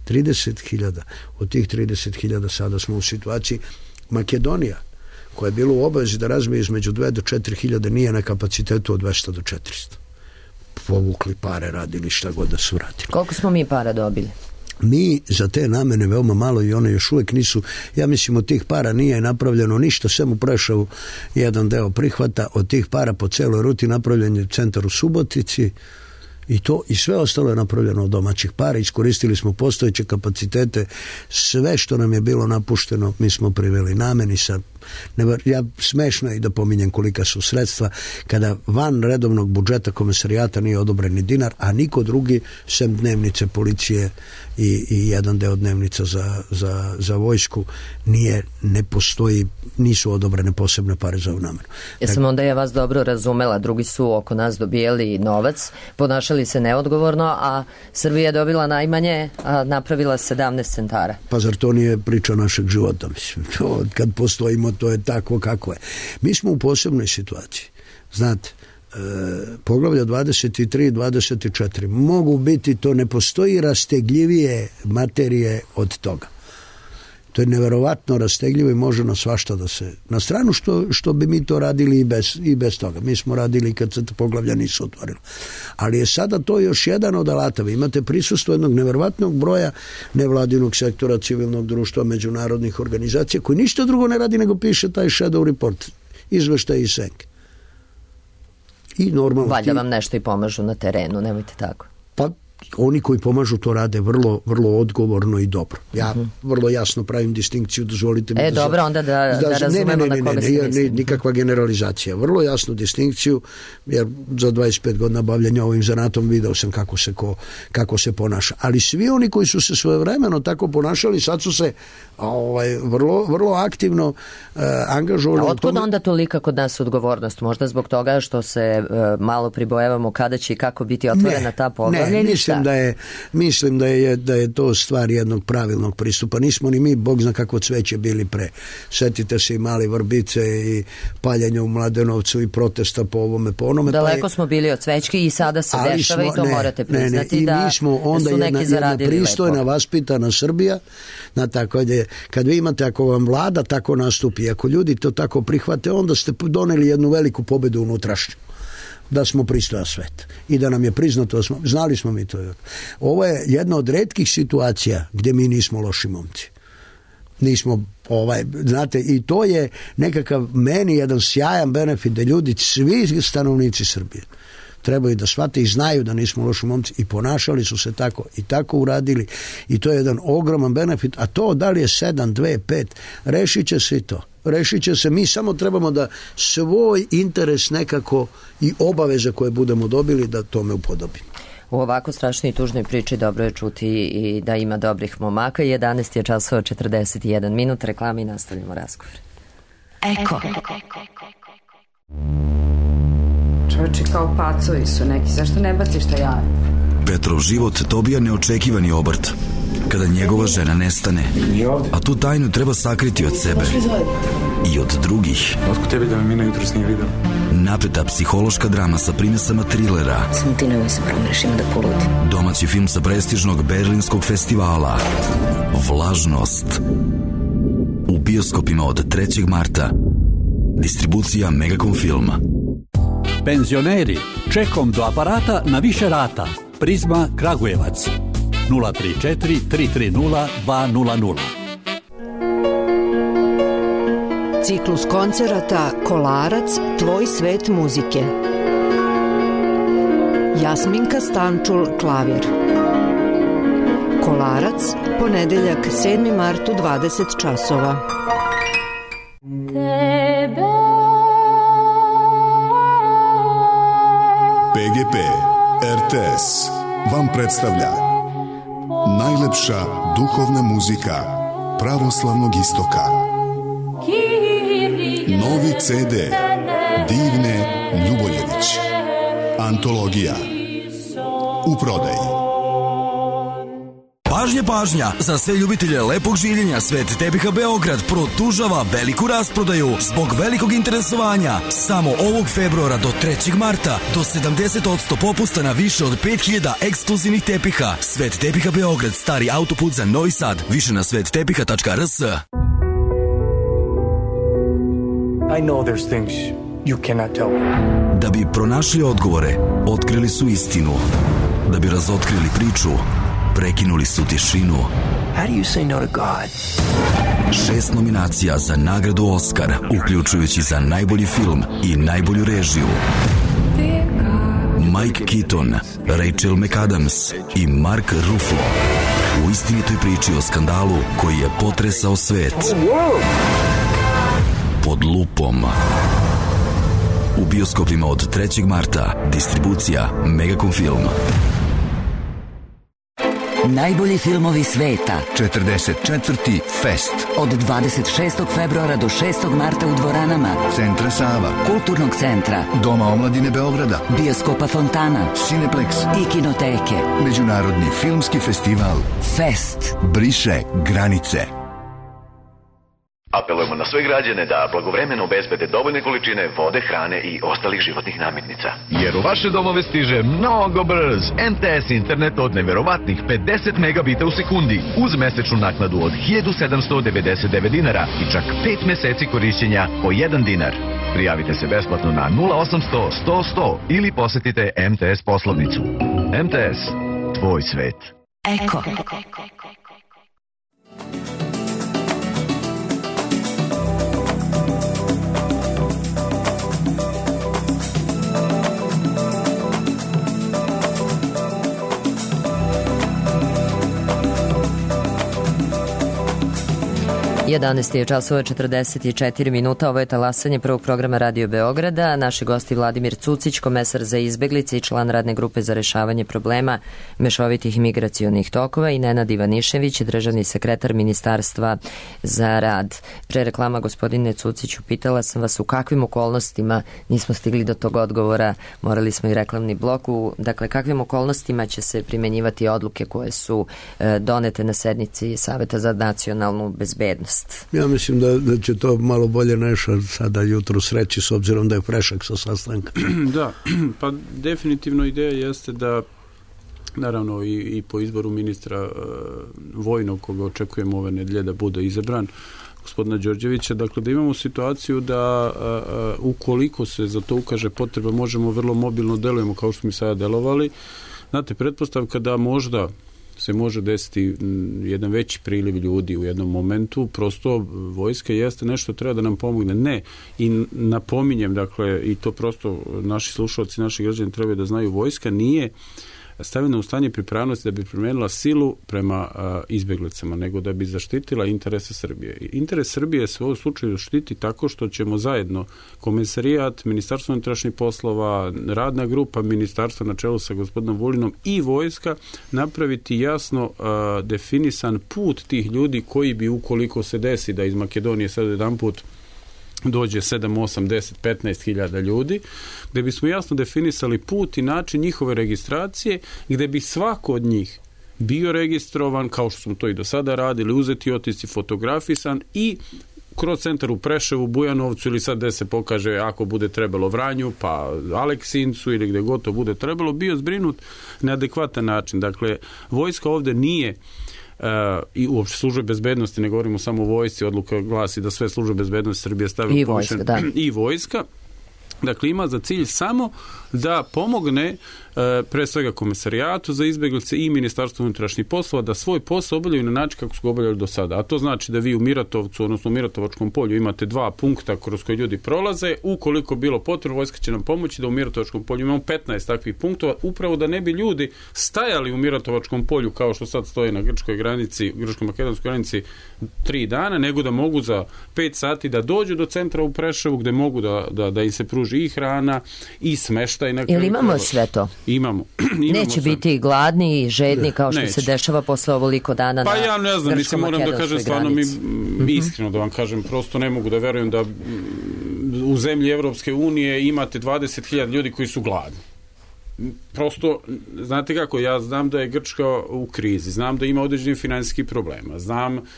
30.000. Od tih 30.000 sada smo u situaciji Makedonija, koja je bila u obavezi da razvije između 2 do 4.000, nije na kapacitetu od 200 do 400. Povukli pare, radili šta god da su radili. Koliko smo mi para dobili? Mi za te namene veoma malo i one još uvijek nisu, ja mislim od tih para nije napravljeno ništa, sve mu prešao jedan deo prihvata, od tih para po celoj ruti napravljen je centar u Subotici i to i sve ostalo je napravljeno od domaćih para, iskoristili smo postojeće kapacitete, sve što nam je bilo napušteno mi smo priveli nameni sa. Ja smešno je i da pominjem kolika su sredstva kada van redovnog budžeta komesarijata nije odobren ni dinar, a niko drugi sem dnevnice policije i jedan deo dnevnica za vojsku ne postoji, nisu odobrene posebne pare za ovu namenu. Jesam onda ja vas dobro razumela, drugi su oko nas dobijali novac, ponašali se neodgovorno, a Srbija je dobila najmanje, a napravila 17 centara. Pa zar to nije priča našeg života? Mislim, kad postojimo, to je tako kako je. Mi smo u posebnoj situaciji. Znate, poglavlja 23 i 24 mogu biti, to ne postoji rastegljivije materije od toga. To je neverovatno rastegljivo i može na svašta da se, na stranu što bi mi to radili i bez toga. Mi smo radili kad se poglavlja nisu otvorila. Ali je sada to još jedan od alata. Vi imate prisustvo jednog neverovatnog broja nevladinog sektora, civilnog društva, međunarodnih organizacija koji ništa drugo ne radi nego piše taj shadow report, izveštaj iz senke. I normalno. Valjda vam nešto i pomažu na terenu, nemojte tako. Pa oni koji pomažu to rade vrlo, vrlo odgovorno i dobro. Ja vrlo jasno pravim distinkciju, dozvolite mi dobro, onda da razumemo na koga ste mislili. Nikakva generalizacija. Vrlo jasnu distinkciju, jer za 25 godina bavljenja ovim zanatom video sam kako se ponaša. Ali svi oni koji su se svojevremeno tako ponašali, sad su se vrlo, vrlo aktivno angažovali. A otkud onda tolika kod nas odgovornost? Možda zbog toga što se malo pribojavamo kada će i kako biti otvorena ta poglavlja? Mislim da je to stvar jednog pravilnog pristupa. Nismo ni mi, Bog zna kako cveće bili pre. Setite se i Mali Vrbice i paljenja u Mladenovcu i protesta po ovome, po onome. Daleko smo bili od cvećke i sada se dešava i to morate priznati da su neki zaradili lepo. Pristojna, vaspitana Srbija, tako da kad vi imate, ako vam vlada tako nastupi, ako ljudi to tako prihvate, onda ste doneli jednu veliku pobedu unutrašnju. Da smo pristojan svet i da nam je priznato, znali smo mi to. Ovo je jedna od retkih situacija gdje mi nismo loši momci. Nismo, znate, i to je nekakav meni jedan sjajan benefit da ljudi, svi stanovnici Srbije trebaju da shvate i znaju da nismo loši momci i ponašali su se tako i tako uradili i to je jedan ogroman benefit, a to da li je 7, 2, 5, rešit će se i to. Rešit će se, mi samo trebamo da svoj interes nekako i obaveze koje budemo dobili da tome upodobimo. U ovako strašnoj i tužnoj priči dobro je čuti i da ima dobrih momaka. 11 je časova 41 minut, reklama i nastavljamo razgovor. Eko. Čovječe, kao pacovi su neki, zašto ne baciš šta ja? Petrov život dobija neočekivani obrt kada njegova žena nestane, a tu tajnu treba sakriti od sebe i od drugih. Otko tebi da me Mina jutros nije vidio? Napreta psihološka drama sa primesama trilera. Samo ti nemoj se promeniš, ima da poludi. Domaći film sa prestižnog berlinskog festivala Vlažnost. U bioskopima od 3. marta. Distribucija Megacom Filma. Penzioneri, čekom do aparata na više rata. Prizma Kragujevac 034 330 200. Ciklus koncerata Kolarac, tvoj svet muzike. Jasminka Stančul, klavir. Kolarac, ponedeljak 7. martu 20 časova. PGP RTS vam predstavlja najlepša duhovna muzika pravoslavnog istoka. Novi CD Divne Ljuboljević. Antologija. U prodaji. Pažnja, pažnja! Za sve ljubitelje lepog življenja Svet tepiha Beograd produžava veliku rasprodaju zbog velikog interesovanja. Samo ovog februara do 3. marta do 70% popusta na više od 5000 ekskluzivnih tepiha. Svet tepiha Beograd, stari autoput za Novi Sad. Više na svettepiha.rs. I know there's things you cannot tell me. Da bi pronašli odgovore, otkrili su istinu. Da bi razotkrili priču, prekinuli su tišinu. How do you say no to God? 6 nominacija za nagradu Oskar, uključujući za najbolji film i najbolju režiju. Mike Keaton, Rachel McAdams i Mark Ruffalo u istinitoj priči o skandalu koji je potresao svet. Pod lupom. U bioskopima od 3. marta. Distribucija Megacom Film. Najbolji filmovi sveta. 44. Fest. Od 26. februara do 6. marta u dvoranama Centra Sava, Kulturnog centra, Doma omladine Beograda, Bioskopa Fontana, Cineplex i Kinoteke. Međunarodni filmski festival Fest briše granice. Apelujemo na sve građane da blagovremeno obezbede dovoljne količine vode, hrane i ostalih životnih namirnica. Jer u vaše domove stiže mnogo brz MTS internet od neverovatnih 50 megabita u sekundi uz mesečnu naknadu od 1799 dinara i čak 5 meseci korišćenja po 1 dinar. Prijavite se besplatno na 0800 100 100 ili posetite MTS poslovnicu. MTS, tvoj svet. Eko. 11 je časova 44 minuta, ovo je talasanje prvog programa Radio Beograda. Naši gosti Vladimir Cucić, komesar za izbeglice i član radne grupe za rešavanje problema mešovitih migracionih tokova, i Nenad Ivanišević, državni sekretar Ministarstva za rad. Pre reklama, gospodine Cuciću, pitala sam vas u kakvim okolnostima, nismo stigli do tog odgovora, morali smo i reklamni blok, dakle kakvim okolnostima će se primenjivati odluke koje su donete na sednici Saveta za nacionalnu bezbednost? Ja mislim da će to malo bolje Neša sada jutro sreći, s obzirom da je prešak sa sastanka. Da, pa definitivno ideja jeste da, naravno i po izboru ministra vojnog, koga očekujemo ove nedelje da bude izabran, gospodina Đorđevića, dakle da imamo situaciju da ukoliko se za to ukaže potreba, možemo vrlo mobilno delujemo kao što smo sada delovali. Znate, pretpostavka da možda se može desiti jedan veći priliv ljudi u jednom momentu, prosto vojska jeste nešto treba da nam pomogne. Ne, i napominjem, dakle, i to prosto naši slušalci, naši građani trebaju da znaju, vojska nije stavljena u stanje pripravnosti da bi primenila silu prema izbeglicama, nego da bi zaštitila interese Srbije. Interes Srbije se u ovom slučaju štiti tako što ćemo zajedno Komesarijat, Ministarstvo unutrašnjih poslova, radna grupa ministarstva na čelu sa gospodinom Vulinom i vojska napraviti jasno definisan put tih ljudi koji bi, ukoliko se desi da iz Makedonije sad jedan put dođe 7, 8, 10, 15 hiljada ljudi, gde bismo jasno definisali put i način njihove registracije, gde bi svako od njih bio registrovan, kao što smo to i do sada radili, uzeti otisci, fotografisan i kroz centar u Preševu, Bujanovcu ili sad gde se pokaže, ako bude trebalo Vranju, pa Aleksincu ili gde god to bude trebalo, bio zbrinut na adekvatan način. Dakle, vojska ovde nije i uopšte službe bezbednosti, ne govorimo samo o vojsci, odluka glasi da sve službe bezbednosti Srbije stavljaju i vojska. Dakle, ima za cilj samo da pomogne pre svega Komesarijatu za izbeglice i Ministarstvo unutrašnjih poslova da svoj posao obavljaju na način kako su ga obavljali do sada. A to znači da vi u Miratovcu, odnosno u Miratovačkom polju imate 2 punkta kroz koje ljudi prolaze. Ukoliko bilo potrebno, vojska će nam pomoći da u Miratovačkom polju imamo 15 takvih punktova, upravo da ne bi ljudi stajali u Miratovačkom polju kao što sad stoje na grčkoj granici, grčko-makedonskoj granici 3 dana, nego da mogu za 5 sati da dođu do centra u Preševu gde mogu da im se pruži i hrana i smeštaj. Ili imamo sve to? Imamo. Neće biti gladni i žedni kao što se dešava posle ovoliko dana na grčko-makedonskoj granici. Pa ja ne znam, mislim, moram da kažem stvarno iskreno da vam kažem, prosto ne mogu da verujem da u zemlji Evropske unije imate 20.000 ljudi koji su gladni. Prosto, znate kako, ja znam da je Grčka u krizi, znam da ima određenih finansijskih problema,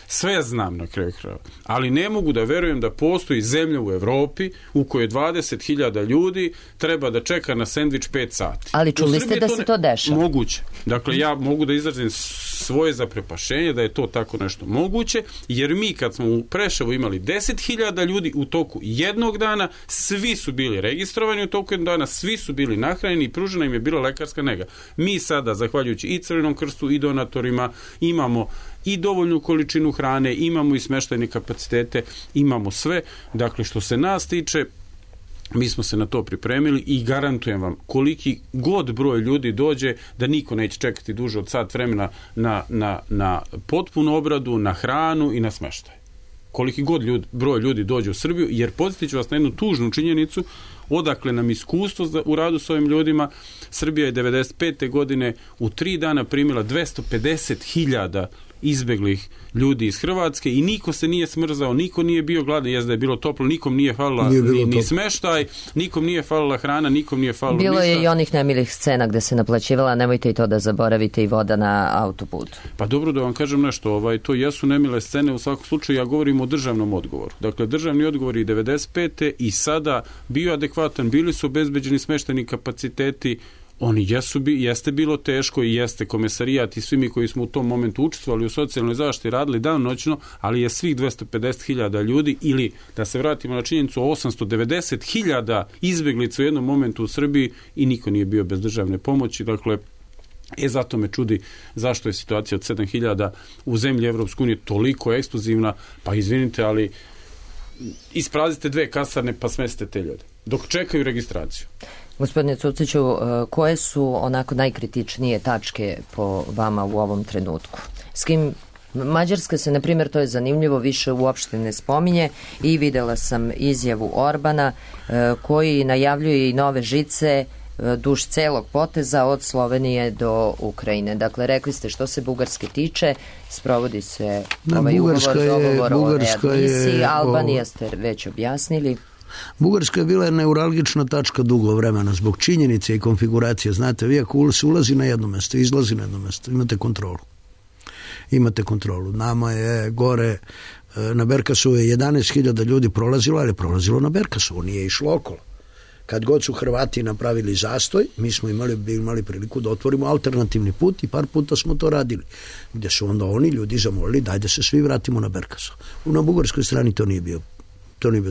sve znam na kraju krajeva, ali ne mogu da verujem da postoji zemlja u Evropi u kojoj 20.000 ljudi treba da čeka na sendvič 5 sati. Ali čuli ste da se to dešava? Moguće. Dakle, ja mogu da izrazim svoje zaprepašenje da je to tako nešto moguće, jer mi kad smo u Preševu imali 10.000 ljudi u toku jednog dana, svi su bili registrovani u toku jednog dana, svi su bili nahranjeni i pružena im je bila lekarska nega. Mi sada, zahvaljujući i Crvenom krstu i donatorima, imamo i dovoljnu količinu hrane, imamo i smeštajne kapacitete, imamo sve. Dakle, što se nas tiče, mi smo se na to pripremili i garantujem vam, koliki god broj ljudi dođe, da niko neće čekati duže od sat vremena na potpunu obradu, na hranu i na smeštaj. Koliki god broj ljudi dođe u Srbiju, jer podsjetit ću vas na jednu tužnu činjenicu, odakle nam iskustvo u radu s ovim ljudima. Srbija je 95. godine u 3 dana primila 250.000 izbeglih ljudi iz Hrvatske i niko se nije smrzao, niko nije bio gladan, jezda je bilo toplo, nikom nije falila ni smeštaj, nikom nije falila hrana, nikom nije falilo ništa. Bilo je i onih nemilih scena gde se naplaćivala, nemojte i to da zaboravite, i voda na autoputu. Pa dobro, da vam kažem nešto, to jesu nemile scene, u svakom slučaju ja govorim o državnom odgovoru. Dakle, državni odgovor je 95. i sada bio adekvatan, bili su obezbeđeni smeštajni kapaciteti, oni jeste bilo teško i jeste Komesarijat i svi mi koji smo u tom momentu učestvovali u socijalnoj zaštiti radili danonoćno, ali je svih 250.000 ljudi, ili da se vratimo na činjenicu 890.000 izbeglica u jednom momentu u Srbiji i niko nije bio bez državne pomoći. Dakle, zato me čudi zašto je situacija od 7.000 u zemlji Evropske unije toliko eksplozivna. Pa izvinite, ali isprazite 2 kasarne pa smestite te ljude dok čekaju registraciju. Gospodine Cuciću, koje su onako najkritičnije tačke po vama u ovom trenutku? S kim Mađarska se, na primjer, to je zanimljivo, više uopšte ne spominje i videla sam izjavu Orbana koji najavljuje i nove žice duž celog poteza od Slovenije do Ukrajine. Dakle, rekli ste što se Bugarske tiče, sprovodi se dogovor o readmisiji, Albanija ste već objasnili. Bugarska je bila neuralgična tačka dugo vremena zbog činjenice i konfiguracije. Znate, vi ako se ulazi na jedno mesto, izlazi na jedno mesto, imate kontrolu. Nama je gore na Berkasu je 11.000 ljudi prolazilo, ali je prolazilo na Berkasu, nije išlo okolo. Kad god su Hrvati napravili zastoj, mi smo imali priliku da otvorimo alternativni put i par puta smo to radili. Gdje su onda oni ljudi zamolili daj da se svi vratimo na Berkasu. Na bugarskoj strani to nije bio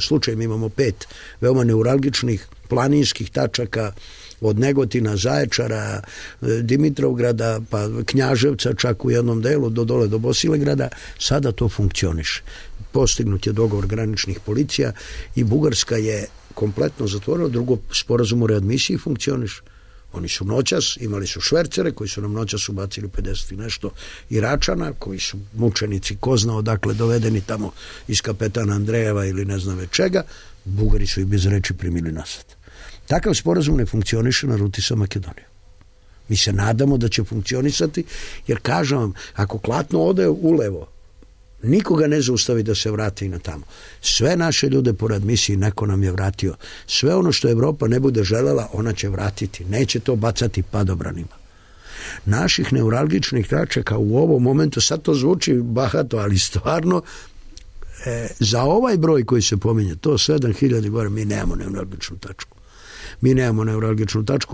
slučaj. Mi imamo 5 veoma neuralgičnih planinskih tačaka od Negotina, Zaječara, Dimitrovgrada, pa Knjaževca, čak u jednom delu do dole do Bosilegrada. Sada to funkcioniše. Postignut je dogovor graničnih policija i Bugarska je kompletno zatvorila. Drugo, sporazum o readmisiji funkcioniše. Oni su noćas, imali su švercere koji su nam noćas ubacili 50 i nešto Iračana, koji su mučenici, ko zna odakle dovedeni tamo iz kapetana Andrejeva ili ne znam već čega. Bugari su ih bez reči primili nazad. Takav sporazum ne funkcioniše na ruti sa Makedonijom. Mi se nadamo da će funkcionisati, jer kažem vam, ako Klatno ode ulevo, nikoga ne zaustavi da se vrati i na tamo. Sve naše ljude po readmisiji neko nam je vratio. Sve ono što Evropa ne bude želela, ona će vratiti. Neće to bacati padobranima. Naših neuralgičnih tačaka u ovom momentu, sad to zvuči bahato, ali stvarno, za ovaj broj koji se pominje, to 7.000 gore, mi nemamo neuralgičnu tačku.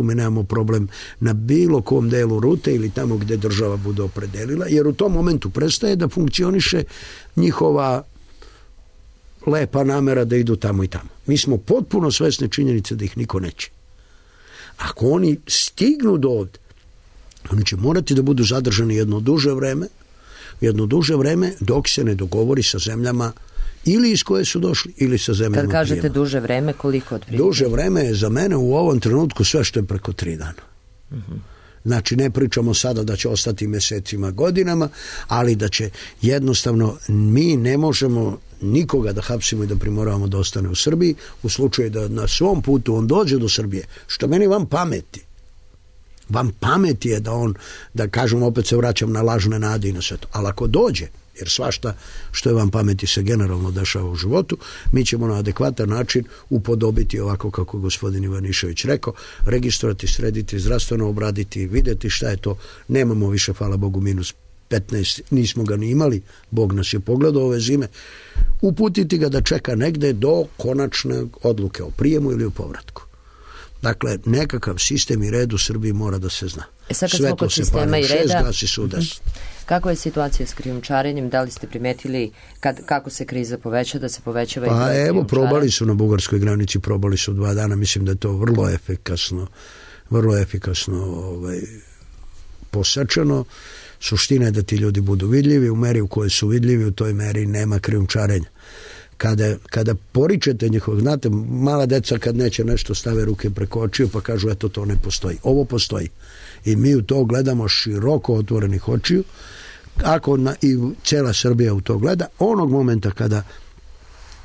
Mi nemamo problem na bilo kom delu rute ili tamo gdje država bude opredelila, jer u tom momentu prestaje da funkcioniše njihova lepa namera da idu tamo i tamo. Mi smo potpuno svesni činjenice da ih niko neće. Ako oni stignu do ovdje, oni će morati da budu zadržani jedno duže vreme dok se ne dogovori sa zemljama ili iz koje su došli, ili sa zemljama prijema. Kad kažete prijema. Duže vreme, koliko otprilike? Duže vreme je za mene u ovom trenutku sve što je preko 3 dana. Znači, ne pričamo sada da će ostati mjesecima, godinama, ali da će jednostavno, mi ne možemo nikoga da hapsimo i da primoravamo da ostane u Srbiji, u slučaju da na svom putu on dođe do Srbije, što meni vam pameti. Vam pameti je da on, da kažem, opet se vraćam na lažne nade i na sve to. Ali ako dođe, jer svašta što je vam pameti se generalno dešava u životu, mi ćemo na adekvatan način upodobiti ovako kako gospodin Ivanišević rekao, registrovati, srediti, zdravstveno obraditi, vidjeti šta je to. Nemamo više, hvala Bogu, minus 15, nismo ga ni imali, Bog nas je pogledao ove zime, uputiti ga da čeka negde do konačne odluke o prijemu ili o povratku. Dakle, nekakav sistem i red u Srbiji mora da se zna. Sad kad smo kod sistema i reda, gasi sudes. Kakva je situacija s krijumčarenjem? Da li ste primetili kako se kriza poveća, da se povećava i pa evo, probali su na bugarskoj granici, probali su 2 dana, mislim da je to vrlo efikasno posečeno. Suština je da ti ljudi budu vidljivi, u meri u kojoj su vidljivi, u toj meri nema krijumčarenja. Kada poričete njihovog, znate, mala deca kad neće nešto stave ruke preko očiju pa kažu eto to ne postoji. Ovo postoji. I mi u to gledamo široko otvorenih očiju. I cijela Srbija u to gleda. Onog momenta kada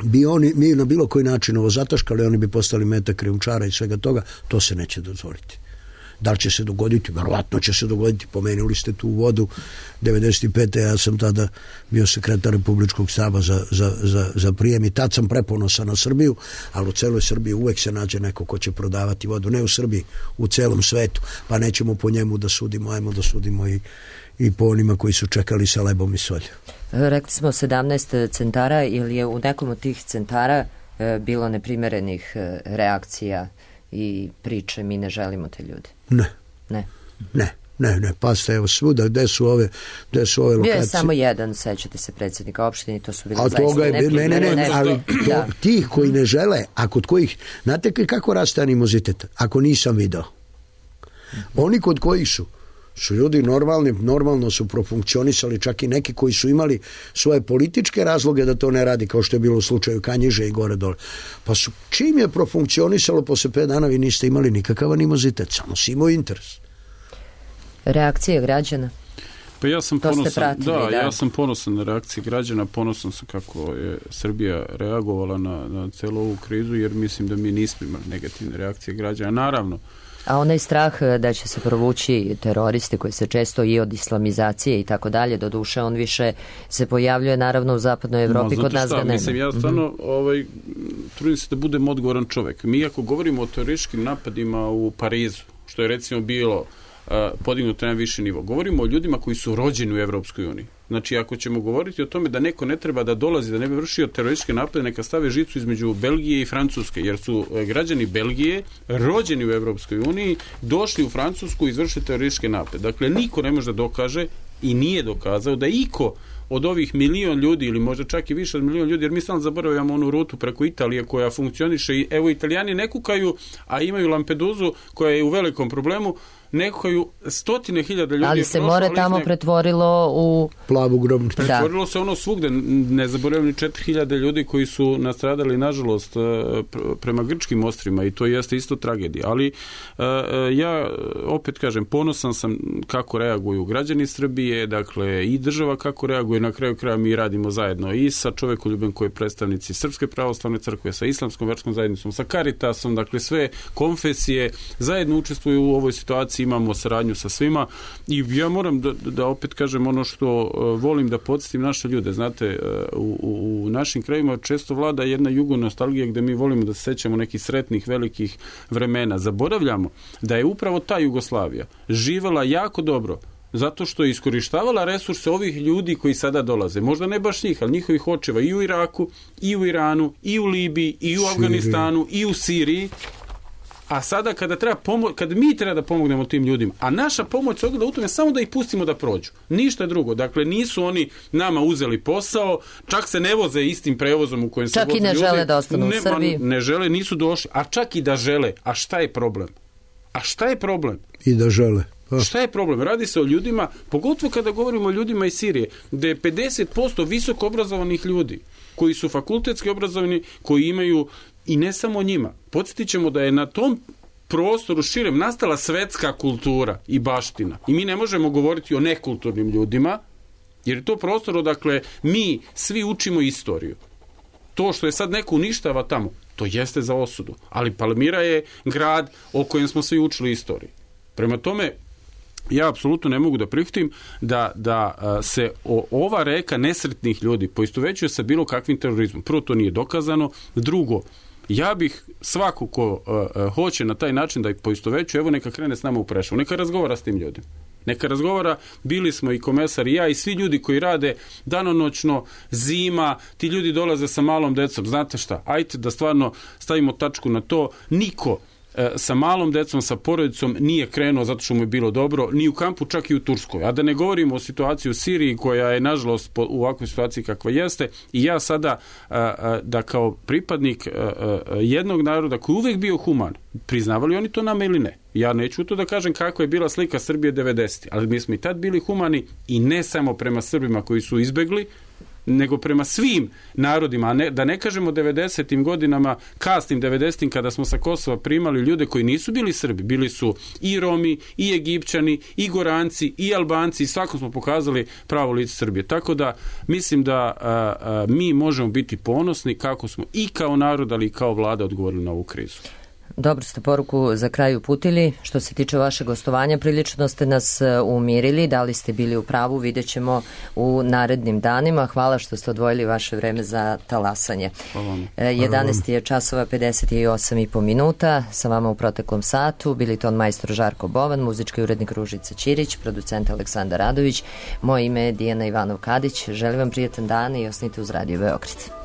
bi mi na bilo koji način ovo zataškali, oni bi postali meta krijumčara i svega toga, to se neće dozvoliti. Da li će se dogoditi? Verovatno će se dogoditi. Pomenuli ste tu vodu 95. Ja sam tada bio sekretar Republičkog štaba za prijem i tad sam preponosan na Srbiju, ali u celoj Srbiji uvek se nađe neko ko će prodavati vodu. Ne u Srbiji, u celom svetu. Pa nećemo po njemu da sudimo, ajmo da sudimo i po onima koji su čekali sa lebom i solju. Rekli smo 17 centara, ili je u nekom od tih centara bilo neprimerenih reakcija i priče, mi ne želimo te ljude? Ne, pa ste evo svuda, gde su ove lokacije? Bio je samo jedan, sećate se, predsjednika opštine, to su bili zaista ne, ali tih koji ne žele, a kod kojih, znate kako raste animozitet? Ako nisam video. Oni kod kojih su ljudi normalno su profunkcionisali, čak i neki koji su imali svoje političke razloge da to ne radi, kao što je bilo u slučaju Kanjiže i gore dole. Pa čim je profunkcionisalo, posle 5 dana vi niste imali nikakav animozitet, samo si imao interes. Reakcije građana? Pa ja sam ponosan, ja sam ponosan na reakcije građana, ponosan sam kako je Srbija reagovala na celu ovu krizu, jer mislim da mi nismo imali negativne reakcije građana. Naravno. A onaj strah da će se provući teroristi koji se često i od islamizacije i tako dalje, doduše on više se pojavljuje naravno u zapadnoj Evropi, kod nas ga nema. Mislim, ja stvarno trudim se da budem odgovoran čovek. Mi ako govorimo o terorističkim napadima u Parizu, što je recimo bilo podignuto na viši nivo, govorimo o ljudima koji su rođeni u Evropskoj uniji. Znači, ako ćemo govoriti o tome da neko ne treba da dolazi, da ne bi vršio terorističke napade, neka stave žicu između Belgije i Francuske, jer su građani Belgije rođeni u Evropskoj uniji, došli u Francusku i izvršili terorističke napade. Dakle, niko ne može da dokaže i nije dokazao da iko od ovih 1 milion ljudi ili možda čak i više od 1 milion ljudi, jer mi stalno zaboravljamo onu rutu preko Italije koja funkcioniše i evo Italijani ne kukaju, a imaju Lampedusu koja je u velikom problemu, ne kukaju, 100.000 ljudi. Ali se more tamo pretvorilo u plavu grobnicu. Pretvorilo se ono svugde, ne zaboravljam ni 4.000 ljudi koji su nastradali nažalost prema grčkim ostrima i to jeste isto tragedija. Ali ja opet kažem, ponosan sam kako reaguju građani Srbije, dakle i država kako reaguje, na kraju kraja mi radimo zajedno i sa čovekoljubem koji je predstavnici Srpske pravoslavne crkve, sa Islamskom verskom zajednicom, sa Caritasom, dakle sve konfesije zajedno učestvuju u ovoj situaciji, imamo saradnju sa svima i ja moram da opet kažem ono što volim da podsjetim naše ljude. Znate, u našim krajima često vlada jedna jugonostalgija gde mi volimo da se sećamo nekih sretnih velikih vremena. Zaboravljamo da je upravo ta Jugoslavija živela jako dobro zato što je iskorištavala resurse ovih ljudi koji sada dolaze. Možda ne baš njih, ali njihovih očeva i u Iraku, i u Iranu, i u Libiji, i u Afganistanu, i u Siriji. A sada kada mi treba da pomognemo tim ljudima, a naša pomoć se ogleda u tome samo da ih pustimo da prođu. Ništa drugo. Dakle, nisu oni nama uzeli posao, čak se ne voze istim prevozom u kojem se voze ljudi. Čak i ne žele da ostanu u Srbiji. Ne žele, nisu došli. A čak i da žele. A šta je problem? I da žele. Šta je problem? Radi se o ljudima, pogotovo kada govorimo o ljudima iz Sirije, da je 50% visoko obrazovanih ljudi, koji su fakultetski obrazovani, koji imaju, i ne samo njima. Podsjetit ćemo da je na tom prostoru širem nastala svetska kultura i baština. I mi ne možemo govoriti o nekulturnim ljudima, jer je to prostor odakle mi svi učimo istoriju. To što je sad neko uništava tamo, to jeste za osudu. Ali Palmira je grad o kojem smo svi učili istoriju. Prema tome, ja apsolutno ne mogu da prihvatim da se ova reka nesretnih ljudi poistovećuje sa bilo kakvim terorizmom. Prvo, to nije dokazano. Drugo, ja bih svako ko hoće na taj način da ih poistovećuje, evo neka krene s nama u Preševo, neka razgovara s tim ljudima. Neka razgovara, bili smo i komesar i ja i svi ljudi koji rade danonoćno, zima, ti ljudi dolaze sa malom decom, znate šta, ajte da stvarno stavimo tačku na to, niko sa malom decom, sa porodicom nije krenuo zato što mu je bilo dobro, ni u kampu, čak i u Turskoj. A da ne govorimo o situaciji u Siriji koja je nažalost u ovakvoj situaciji kakva jeste i ja sada da kao pripadnik jednog naroda koji uvek bio human, priznavali oni to nama ili ne? Ja neću to da kažem kako je bila slika Srbije 90. Ali mi smo i tad bili humani i ne samo prema Srbima koji su izbegli, nego prema svim narodima, a da ne kažemo 90. godinama, kasnim 90. kada smo sa Kosova primali ljude koji nisu bili Srbi, bili su i Romi, i Egipćani, i Goranci, i Albanci, i svako smo pokazali pravo lice Srbije. Tako da mislim da mi možemo biti ponosni kako smo i kao narod, ali i kao vlada odgovorili na ovu krizu. Dobro ste poruku za kraj uputili. Što se tiče vašeg gostovanja, prilično ste nas umirili, da li ste bili u pravu, vidjet ćemo u narednim danima. Hvala što ste odvojili vaše vreme za talasanje. 11 je časova 58,5 minuta. Sa vama u proteklom satu bili ton majstor Žarko Bovan, muzički urednik Ružica Ćirić, producent Aleksandar Radović. Moje ime je Dijana Ivanov-Kadić. Želim vam prijetan dan i osnite uz Radio Beograd.